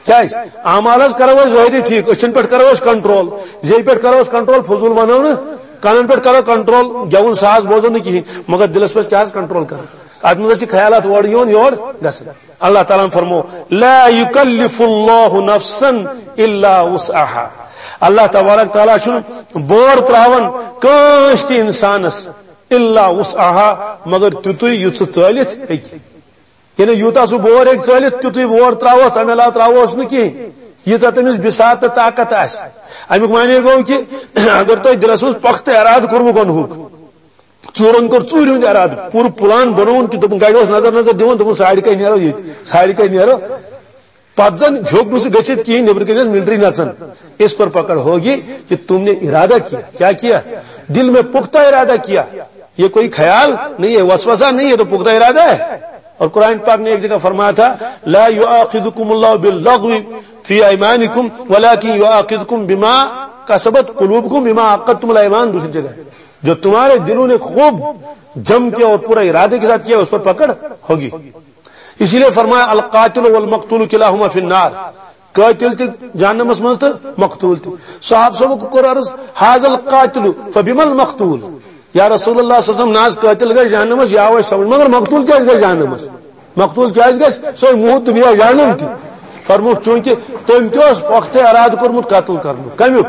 کیٛازِ؟ اعمال حظ کرو أسۍ ظٲہری ٹھیٖک، أچھن پٮ۪ٹھ کرو أسۍ کنٹرول، زیٚیہِ پٮ۪ٹھ کرو أسۍ کنٹرول، فضوٗل ونو نہٕ، کنن پٮ۪ٹھ کرو کنٹرول، گٮ۪وُن ساز بوزو نہٕ کِہیٖنۍ، مگر دِلس پٮ۪ٹھ کیٛاہ حظ کنٹرول کرو؟ اتھ منٛز حظ چھِ خیالات اورٕ یِوان یورٕ گژھان۔ اللہ تعالیٰ ہن فرمو، لا یکلف اللہ نفسا الا وسعها۔ اللہ تبارک تعالیٰ چھُنہٕ بور تراوان کٲنٛسہِ تہِ انسانس الا وسعها، مگر تیُتُے یُتھ سُہ ژٲلِتھ ہیٚکہِ۔ یعنی یوٗتاہ سُہ بور ہیٚکہِ ژٲلِتھ، تیُتُے بور تراووس، تمہِ علاوٕ تراووس نہٕ کِہیٖنۍ، ییٖژاہ تٔمِس بساط تہٕ طاقت آسہِ۔ امیُک معنی گوٚو کہِ اگر تۄہہِ دِلس منٛز پۄختہٕ ارادٕ کوٚروٕ گۄنہُک، ژوٗرن کوٚر ژوٗرِ ہُنٛد ارادٕ، پوٗرٕ پلان بنووُن کہِ دوٚپُن گرِ اوس نظر نظر دِوان، دوٚپُن ساڑِ کتہِ نیرو ییٚتہِ، ساڑِ کتہِ نیرو۔ پتہٕ زن ہیوٚک نہٕ سُہ گٔژھِتھ کِہیٖنۍ، نیٚبرٕ کنہِ ٲس ملٹری نژان، اس پر پکڑ ہوگی کہ تم نے ارادہ کیا۔ کیا کیا؟ دل میں پختہ ارادہ کیا۔ یہ کوئی خیال نہیں ہے، وسوسہ نہیں ہے، تو پختہ ارادہ ہے۔ اور قرآن پاک نے ایک جگہ فرمایا تھا، لا یؤاخذکم اللہ باللغو فی ایمانکم ولکن یؤاخذکم بما کسبت قلوبکم بما عقدتم الایمان، دوسری جگہ جو تمہارے دلوں نے خوب جم کے اور پورا ارادے کے ساتھ کیا، اس پر پکڑ ہوگی۔ اسی لیے فرمایا، القاتل والمقتول کلاہما فی النار، قاتل تہِ جہنمس منٛز تہٕ مقتول تہِ۔ صحابہ صٲبُک کوٚر عرض، حاض القاتل فبم المقتول؟ یا رسول اللہ صلی اللہ علیہ وسلم، نہ حظ قاتل گژھِ جہنمس، یا وۄنۍ سمجھ، مگر مقتول کیازِ گژھِ جہنمس؟ مقتول کیازِ گژھِ؟ سُہ ہے موٗد تہٕ بیٚیہِ جہنم تہِ۔ فرمووُکھ، چوٗنٛکہِ تٔمۍ تہِ اوس پۄختہٕ ارادٕ کوٚرمُت قتل کرنُک۔ کمیُک؟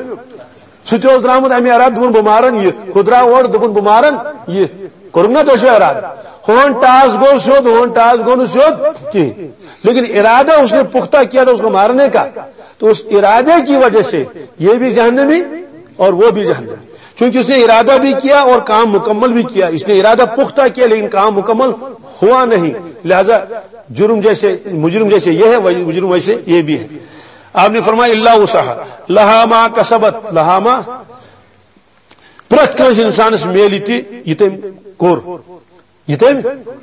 سُہ تہِ اوس درٛامُت اَمہِ ارادٕ، دوٚپُن، بہٕ مارن یہِ۔ ہُہ درٛاو اورٕ، دوٚپُن، بہٕ مارن یہِ۔ کوٚرُکھ نا دۄشوے ارادٕ؟ ہون ٹاس گوٚو سیوٚد، ہون ٹاس گوٚو نہٕ سیوٚد کِہیٖنۍ۔ لیکن ارادہ اس نے پختہ کیا تھا اس کو مارنے کا، تو اس ارادے کی وجہ سے یہ بھی جہنمی اور وہ بھی جہنمی، کیونکہ اس نے ارادہ بھی کیا اور کام مکمل بھی کیا۔ اس نے ارادہ پختہ کیا لیکن کام مکمل ہوا نہیں، لہذا جرم جیسے، مجرم جیسے یہ ہے، وہی مجرم ویسے یہ بھی ہے۔ آپ نے فرمایا، الا وسعها، لها ما کسبت، لها ما، پرٛٮ۪تھ کٲنٛسہِ انسانس میلہِ تہِ یہِ تٔمۍ کوٚر، یہ تم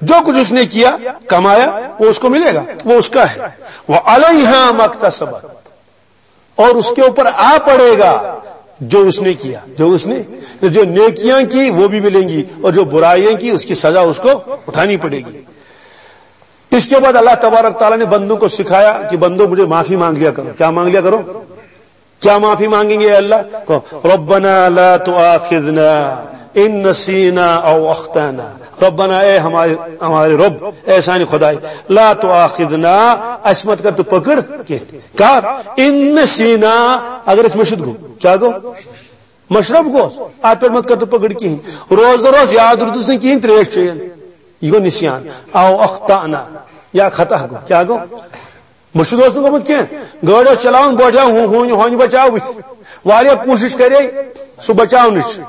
جو کچھ اس نے کیا، کمایا، وہ اس کو ملے گا، وہ اس کا ہے۔ وعلیہا ما اکتسبت، اور اس کے اوپر آ پڑے گا جو اس نے کیا، جو اس نے، جو نیکیاں کی وہ بھی ملیں گی اور جو برائیاں کی اس کی سزا اس کو اٹھانی پڑے گی۔ اس کے بعد اللہ تبارک تعالیٰ نے بندوں کو سکھایا کہ بندو، مجھے معافی مانگ لیا کرو۔ کیا مانگ لیا کرو؟ کیا معافی مانگیں گے اے اللہ؟ کہو، ربنا لا تؤاخذنا ان نسینا او اخطانا۔ ربنا، اے ہمارے، ہمارے رب، اے سانہِ خدائے، لا تؤاخذنا، اسہِ مت کر تو پکڑ کینٛہہ۔ کر، ان نسینا، اگر اسہِ مٔشِتھ گوٚو۔ کیا گوٚو؟ مشرب گوٚو۔ اتھ پٮ۪ٹھ مت کر تو پکڑ کِہیٖنۍ۔ روزدر اوس، یاد روٗدُس نہٕ کِہیٖنۍ، ترٛیش چیٚیَن۔ یہِ گوٚو نسیان۔ او اخطانا، یا خطا گوٚو۔ کیا گوٚو؟ مٔشِد اوس نہٕ گوٚمُت کینٛہہ، گٲڑۍ اوس چلاوان، بوٹیا ہو-، ہونہِ، ہونہِ بچاو بٕتھِ۔ واریاہ کوٗشِش کرے سُہ بچاونٕچ،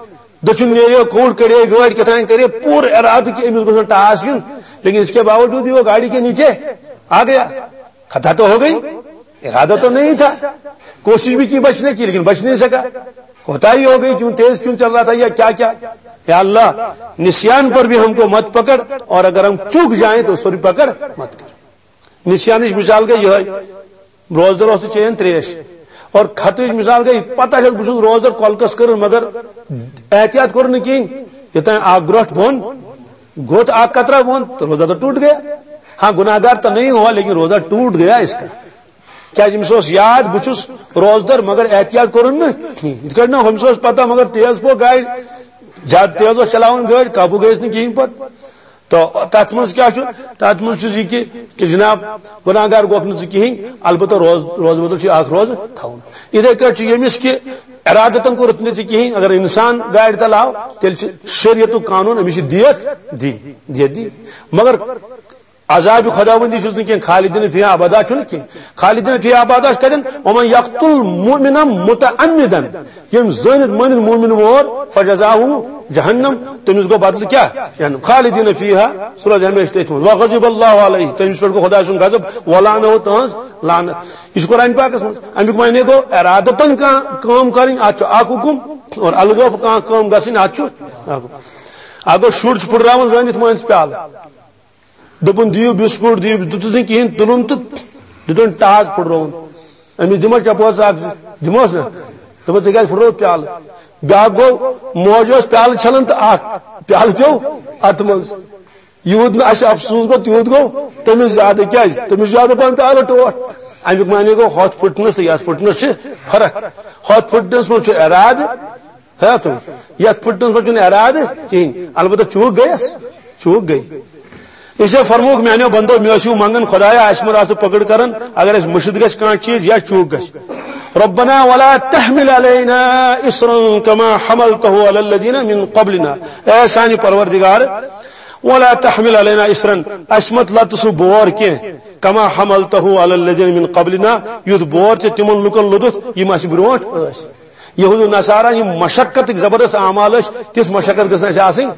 دٔچھُن نیرے، کوٚڑ کڑے گٲڑۍ، کیٛاہ تام کرے، پوٗرٕ ارادٕ کہِ أمِس گوٚژھ نہٕ ٹاس یُن، لیکن اس کے باوجود بھی وہ گاڑی کے نیچے آ گیا۔ خطا تو ہو گئی، ارادہ تو نہیں تھا، کوشش بھی کی بچنے کی، لیکن بچ نہیں سکا۔ کوتاہی ہو گئی، کیوں تیز کیوں چل رہا تھا یا کیا کیا؟ یا اللہ، نسیان پر بھی ہم کو مت پکڑ، اور اگر ہم چوک جائیں تو اس پر بھی پکڑ مت کر۔ نسیانٕچ مثال گٔے یِہوٚے، روزدر اوس تہٕ چیٚیَن ترٛیش۔ اور خطٕچ مثال گٔے، پتہ چھَس بہٕ چھُس روزدر کۄلکَس کٔرٕن، مگر احتیاط کوٚر نہٕ کِہیٖنۍ۔ یوٚتام اَکھ گرٛۄٹھ بۄن، گوٚت اَکھ قطرہ بۄن، تو روزہ تو ٹوٹ گیا۔ ہاں، گناہ گار تو نہیں ہوا، لیکن روزہ ٹوٹ گیا اس کا۔ کیٛازِ أمِس اوس یاد، بہٕ چھُس روزدر، مگر احتیاط کوٚرُن نہٕ کِہیٖنۍ۔ یِتھ کٲٹھۍ نہ ہُمِس اوس پتہ، مگر تیز پوٚو گاڑِ، زیادٕ تیز اوس چلاوان گٲڑۍ، قابوٗ گٔیَس نہٕ کِہیٖنۍ پتہٕ۔ تو تتھ منٛز کیٛاہ چھُ؟ تتھ منٛز چھُ یہِ کہِ، کہِ جناب، گناہ گار گوٚکھ نہٕ ژٕ کِہیٖنۍ، البتہ روز-، روزٕ بدل چھُ اکھ روزٕ تھاوُن۔ یِتھے کٲٹھۍ چھُ ییٚمِس کہِ ارادتن کوٚرُتھ نہٕ ژٕ کِہیٖنۍ، اگر انسان گاڑِ تل آو، تیٚلہِ چھُ شریعتُک قانون، أمِس چھِ دیت دِنۍ، دیت دِنۍ۔ مگر عذابِ خداوندی چھُس نہٕ کینٛہہ، خالدین فیہا ابدا چھُنہٕ کینٛہہ۔ خالدین فیہا ابدا چھُ کتٮ۪ن؟ ومن یقتل مؤمنا متعمدا، ییٚمۍ زٲنِتھ مٲنِتھ مومِن مور، فجزاؤہ جہنم، تٔمِس گوٚو بدلہٕ کیٛاہ؟ جہنم۔ خالدین فیہا، سُہ روزِ ہمیشہِ تٔتھۍ منٛز۔ وغضب اللہ علیہ، تٔمِس پٮ۪ٹھ گوٚو خۄداے سُنٛد غضب، ولعنہ، تہنٛز لعنت۔ یہِ چھُ قرآن پاکس منٛز۔ اَمیُک معنی گوٚو ارادتن کانٛہہ کٲم کرٕنۍ، اتھ چھُ اکھ حُکم، اور الگٲب کانٛہہ کٲم گژھٕنۍ، اتھ چھُ اکھ حُکم۔ اکھ گوٚو شُر چھُ پھُٹراوان زٲنِتھ مٲنِتھ پیالہٕ، دوٚپُن، "دِیِو بِسکوٗٹ، دِیِو"، دیُتُس نہٕ کِہیٖنۍ، تُلُن تہٕ دیُتُن ٹاس پھُٹرووُن۔ أمِس دِمو چپوس اکھ زٕ، دِموس نا؟ دوٚپُن، "ژےٚ کیٛازِ پھُٹرووُتھ پیالہٕ؟" بیٛاکھ گوٚو، موج ٲس پیالہٕ چھلان تہٕ اکھ پیالہٕ پیوٚو اَتھٕ منٛز۔ یوٗت نہٕ اَسہِ افسوٗس گوٚو، تیوٗت گوٚو تٔمِس زیادٕ۔ کیٛازِ؟ تٔمِس چھُ زیادٕ پَہَن پیالہٕ ٹوٹھ۔ اَمیُک معنی گوٚو، ہۄتھ پھُٹنَس تہٕ یَتھ پھُٹنَس چھِ فرق۔ ہۄتھ پھُٹنَس منٛز چھُ اِرادہٕ، ہے تِم، یَتھ پھُٹنَس منٛز چھُنہٕ اِرادٕ کِہیٖنۍ، البتہ چوٗک گٔیَس، چوٗک گٔے۔ اس لیے فرمووُکھ، میٛانیو بندو، مےٚ ٲسِو منٛگان خۄدایا، اَسہِ مہ آسہٕ پکڑ کران، اگر اَسہِ مٔشِتھ گژھِ کانٛہہ چیٖز یا چوٗک گژھِ۔ ربنا ولا تحمل علينا إصرا كما حملته على الذين من قبلنا۔ اے سانہِ پروردگار، ولا تحمل علينا إصرا، اسہِ مت لد سُہ بور کینٛہہ، كما حملته على الذين من قبلنا، یُتھ بور ژےٚ تِمن لُکن لوٚدُتھ یِم اسہِ برونٛٹھ ٲسۍ۔ یہود و نصارا یِم مشقتٕکۍ زبردست اعمال ٲسۍ، تِژھ مشقت گٔژھ نہٕ اسہِ آسٕنۍ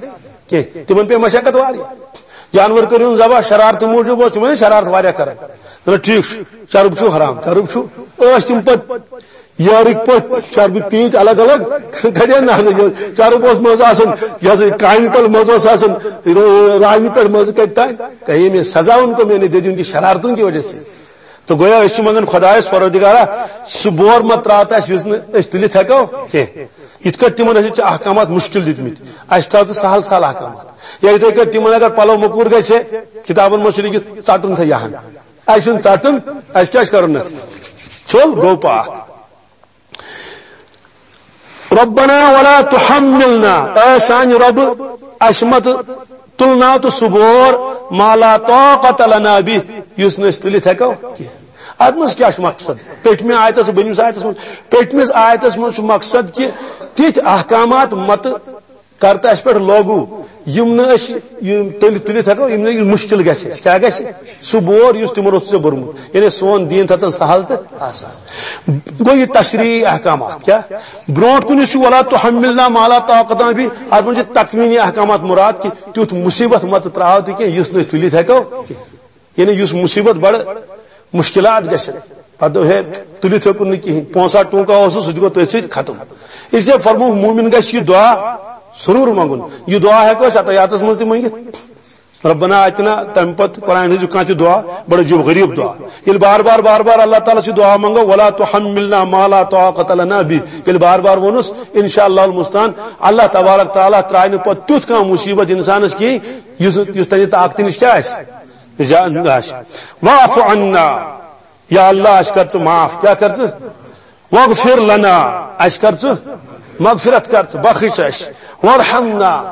کینٛہہ۔ تِمن پیٚیہِ مشقت واریاہ۔ جانور کٔرِو ذبح، شرارتہٕ موٗجوٗب اوس تِمن شرارت واریاہ کران۔ دپان، ٹھیک چھُ، چرٕب چھُ حرام، چرٕب چھُ۔ ٲسۍ تِم پتہٕ یارٕکۍ پٲٹھۍ چربہٕ پیٖنتۍ الگ الگ کڑے نہ حظ۔ چرٕب اوس منٛزٕ آسان، یہِ ہسا یہِ کانہِ تل منٛزٕ اوس آسان، رو-، رانہِ پٮ۪ٹھ منٛزٕ کتہِ تام۔ کہیں میں سزا ان کو میں نے دے دی ان کی شرارتوں کی وجہ سے۔ تو گویا أسۍ چھِ منٛگان خۄدایس پروردگارا، سُہ بور مہ ترٛاو تہٕ اَسہِ یُس نہٕ أسۍ تُلِتھ ہٮ۪کو کینٛہہ۔ یِتھ کٲٹھۍ تِمن ٲسۍ ژےٚ احکامات مُشکِل دِتمٕتۍ، اَسہِ تھاو ژٕ سہل سہل احکامات۔ یا یِتھے کٲٹھۍ تِمن اگر پلو موٚکوٗر گژھِ، کِتابن منٛز چھُ لیکھِتھ، ژٹُن سا یہِ ہن۔ اَسہِ چھُنہٕ ژٹُن، اَسہِ کیٛاہ چھُ کرُن اَتھ؟ چھوٚل گوٚو پاک۔ ربنا ولا تحملنا، اے سانہِ رۄبہٕ، اَسہِ مہ تُلناو تہٕ سُہ بور، ما لا طاقت لنا به، یُس نہٕ أسۍ تُلِتھ ہٮ۪کو کینٛہہ۔ اتھ منٛز کیٛاہ چھُ مقصد؟ پٔتمہِ آیتس، بٔنمِس آیتس منٛز، پٔتمِس آیتس منٛز چھُ مقصد کہِ تِتھۍ احکامات متہٕ کر تہٕ اَسہِ پٮ۪ٹھ لاگو، یِم نہٕ أسۍ یِم تُلِتھ، تُلِتھ ہٮ۪کو، یِم نہٕ یہِ مُشکِل گژھِ اَسہِ۔ کیٛاہ گژھِ؟ سُہ بور یُس تِمن اوس ژےٚ بوٚرمُت۔ یعنی سون دیٖن تھٲتن سہل تہٕ آسان۔ گوٚو یہِ تشریعی احکامات۔ کیٛاہ؟ برونٛٹھ کُن یُس چھُ ولا تحملنا ما لا طاقت لنا به، اتھ منٛز چھِ تکوینی احکامات مراد کہِ تیُتھ مُصیبت متہٕ ترٛاو تہِ کینٛہہ یُس نہٕ أسۍ تُلِتھ ہٮ۪کو کینٛہہ۔ یعنی یُس مُصیبت بڑٕ مُشکِلات گژھن، پتہٕ دوٚپ، ہے، تُلِتھ ہیوٚکُن نہٕ کِہیٖنۍ، پونٛسہٕ ٹونٛکا اوسُس، سُہ تہِ گوٚو تٔتھۍ سۭتۍ ختم۔ اس لیے فرمووُکھ، مومن گژھِ یہِ دعا ضروٗر منٛگُن۔ یہِ دعا ہٮ۪کو أسۍ عطیاتس منٛز تہِ مٔنگِتھ۔ ربنا آتنا، تمہِ پتہٕ قرآن ہٕنٛز کانٛہہ تہِ دعا، بڑٕ عجیب غریب دعا۔ ییٚلہِ بار بار، بار بار اللہ تعالیٰ سۭتۍ دعا منٛگو، ولا تحملنا ما لا طاقت لنا به، ییٚلہِ بار بار ووٚنُس، انشاءاللہ المستعان، اللہ تبارک تعالیٰ ترٛاوِ نہٕ پتہٕ تیُتھ کانٛہہ مُصیبت انسانس کِہیٖنۍ، یُس، یُس تَمہِ طاقتہٕ نِش کیٛاہ آسہِ؟ زیادٕ آسہِ۔ واعف عنا، یا اللہ، اَسہِ کر ژٕ معاف۔ کیٛاہ کر ژٕ؟ واغفر لنا، اَسہِ کر ژٕ مغفرت کر ژٕ، بخش اَسہِ۔ وارحمنا،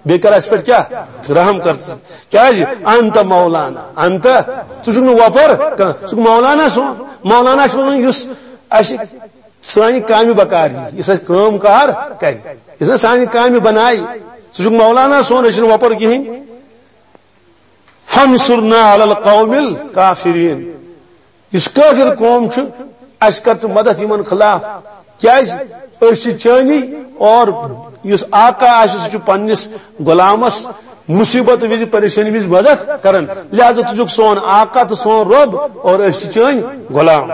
بیٚیہِ کر اَسہِ پٮ۪ٹھ کیٛاہ؟ رحم کر ژٕ۔ کیٛازِ؟ انت مولانا، انت، ژٕ چھُکھ نہٕ وۄپر کانٛہہ، ژٕ چھُکھ مولانا سون۔ مولانا چھُ وَنان یُس اَسہِ سانہِ کامہِ بکار یی، یُس اَسہِ کٲم کار کرِ، یُس نہٕ سانہِ کامہِ بنایہِ، سُہ چھُکھ مولانا سون، أسۍ چھِنہٕ وۄپر کِہیٖنۍ۔ فانصرنا علی القوم الکافرین۔ یُس کٲفِر قوم چھُ، اَسہِ کر ژٕ مدد یِمن خلاف۔ کیٛازِ؟ أسۍ چھِ چٲنی، اور یُس آقا آسہِ، سُہ چھُ پننِس غلامس مُصیبت وِزِ، پریشٲنی وِزِ مدد کران۔ لہذا ژٕ چھُکھ سون آقا تہٕ سون رۄب، اور أسۍ چھِ چٲنۍ غلام۔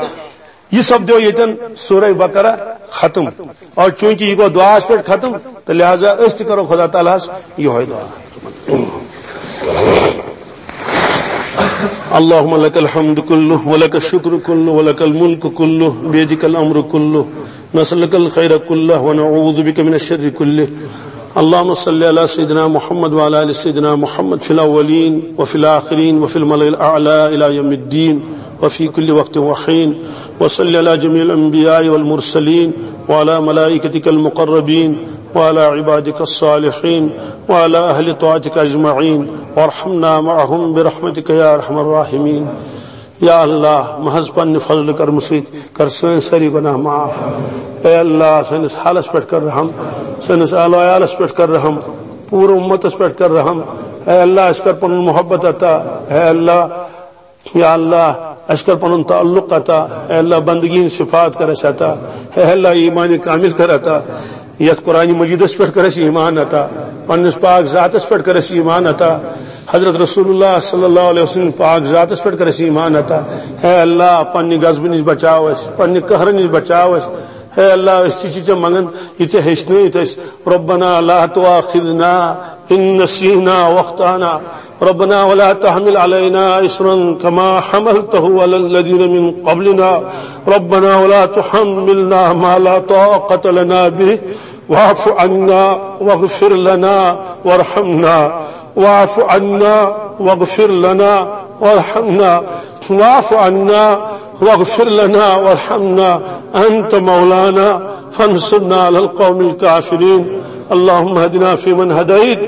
یہِ سپدیو ییٚتٮ۪ن سورہ بقرہ ختم۔ اور چونکہ یہِ گوٚو دعاہس پٮ۪ٹھ ختم، تہٕ لہذا أسۍ تہِ کرو خدا تعالیٰ ہس یِہوٚے دعا۔ اللهم لك الحمد كله ولك الشكر كله ولك الملك كله بيدك الأمر كله، نسألك الخير كله ونعوذ بك من الشر كله۔ اللهم صل على سيدنا محمد وعلى آل سيدنا محمد في الأولين وفي الآخرين وفي الملأ الأعلى إلى يوم الدين وفي كل وقت وحين، وصل على جميع الأنبياء والمرسلين وعلى ملائكتك المقربين وعلى عبادك الصالحين وعلى أهل طاعتك أجمعين، وارحمنا معهم برحمتك يا أرحم الراحمين۔ یا اللہ، محض پننہِ فضلہٕ کرمہٕ سۭتۍ کر سٲنۍ سٲری گۄناہ معاف۔ اے اللہ، سٲنِس حالس پٮ۪ٹھ کر رحم، سٲنِس اہل و عیالس پٮ۪ٹھ کر رحم، پوٗرٕ اُمتس پٮ۪ٹھ کر رحم۔ اے اللہ، اَسہِ کر پنُن محبت عطا۔ اے اللہ، یا اللہ، اَسہِ کر پنُن تعلق عطا۔ اے اللہ، بندگی ہٕنٛز صفات کر اَسہِ عطا۔ اے اللہ، ایمان کامل کر عطا۔ یتھ قرآن مجیدس پٮ۪ٹھ کر اَسہِ ایمان عطا، پننِس پاک ذاتس پٮ۪ٹھ کر اَسہِ ایمان عطا، حضرت رسول اللہ صلی اللہ علیہ وسلم پاک ذاتس پٮ۪ٹھ کر اَسہِ ایمان عطا۔ اے اللہ، پننہِ غضبہٕ نِش بچاو اَسہِ، پننہِ قہرٕ نِش بچاو اَسہِ۔ اے اللہ، أسۍ تہِ چھِ ژےٚ منگان، یہِ ژےٚ ہیٚچھنٲیِتھ اَسہِ۔ ربنا لا تؤاخذنا إن نسينا وأخطأنا۔ ربنا ولا تحمل علينا إصرا كما حملته على الذين من قبلنا۔ ربنا ولا تحملنا ما لا طاقة لنا به۔ واعف عنا واغفر لنا وارحمنا۔ واعف عنا واغفر لنا وارحمنا۔ واعف عنا واغفر لنا وارحمنا، أنت مولانا فانصرنا على القوم الكافرين۔ اللهم اهدنا فيمن هديت،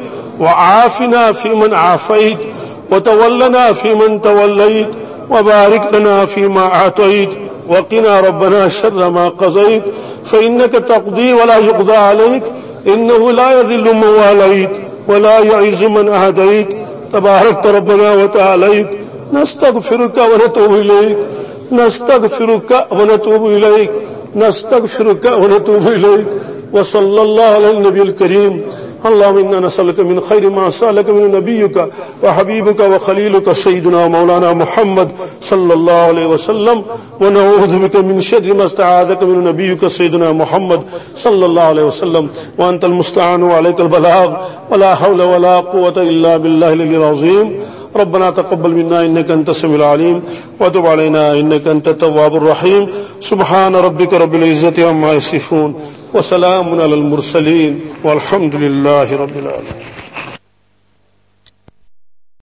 وعافنا فيمن عافيت، وتولنا فيمن توليت، وبارك لنا فيما أعطيت، وقنا ربنا شر ما قضيت، فإنك تقضي ولا يقضى عليك، إنه لا يذل من واليت ولا يعز من عاديت، تباركت ربنا وتعاليت. نستغفرك ونتوب إليك، نستغفرك ونتوب إليك، نستغفرك ونتوب إليك. وصلى الله على النبي الكريم. اللهم إنا نسألك من خير ما سألك من نبيك وحبيبك وخليلك سيدنا مولانا محمد صلى الله عليه وسلم، ونعوذ بك من شر ما استعاذك من نبيك سيدنا محمد صلى الله عليه وسلم. وأنت المستعان وعليك البلاغ، ولا حول ولا قوة إلا بالله العلي العظيم. ربنا تقبل منا إنك أنت السميع العليم، وتب علينا إنك أنت التواب الرحيم. سبحان ربك رب العزة عما يصفون، وسلام على المرسلين، والحمد لله رب العالمين.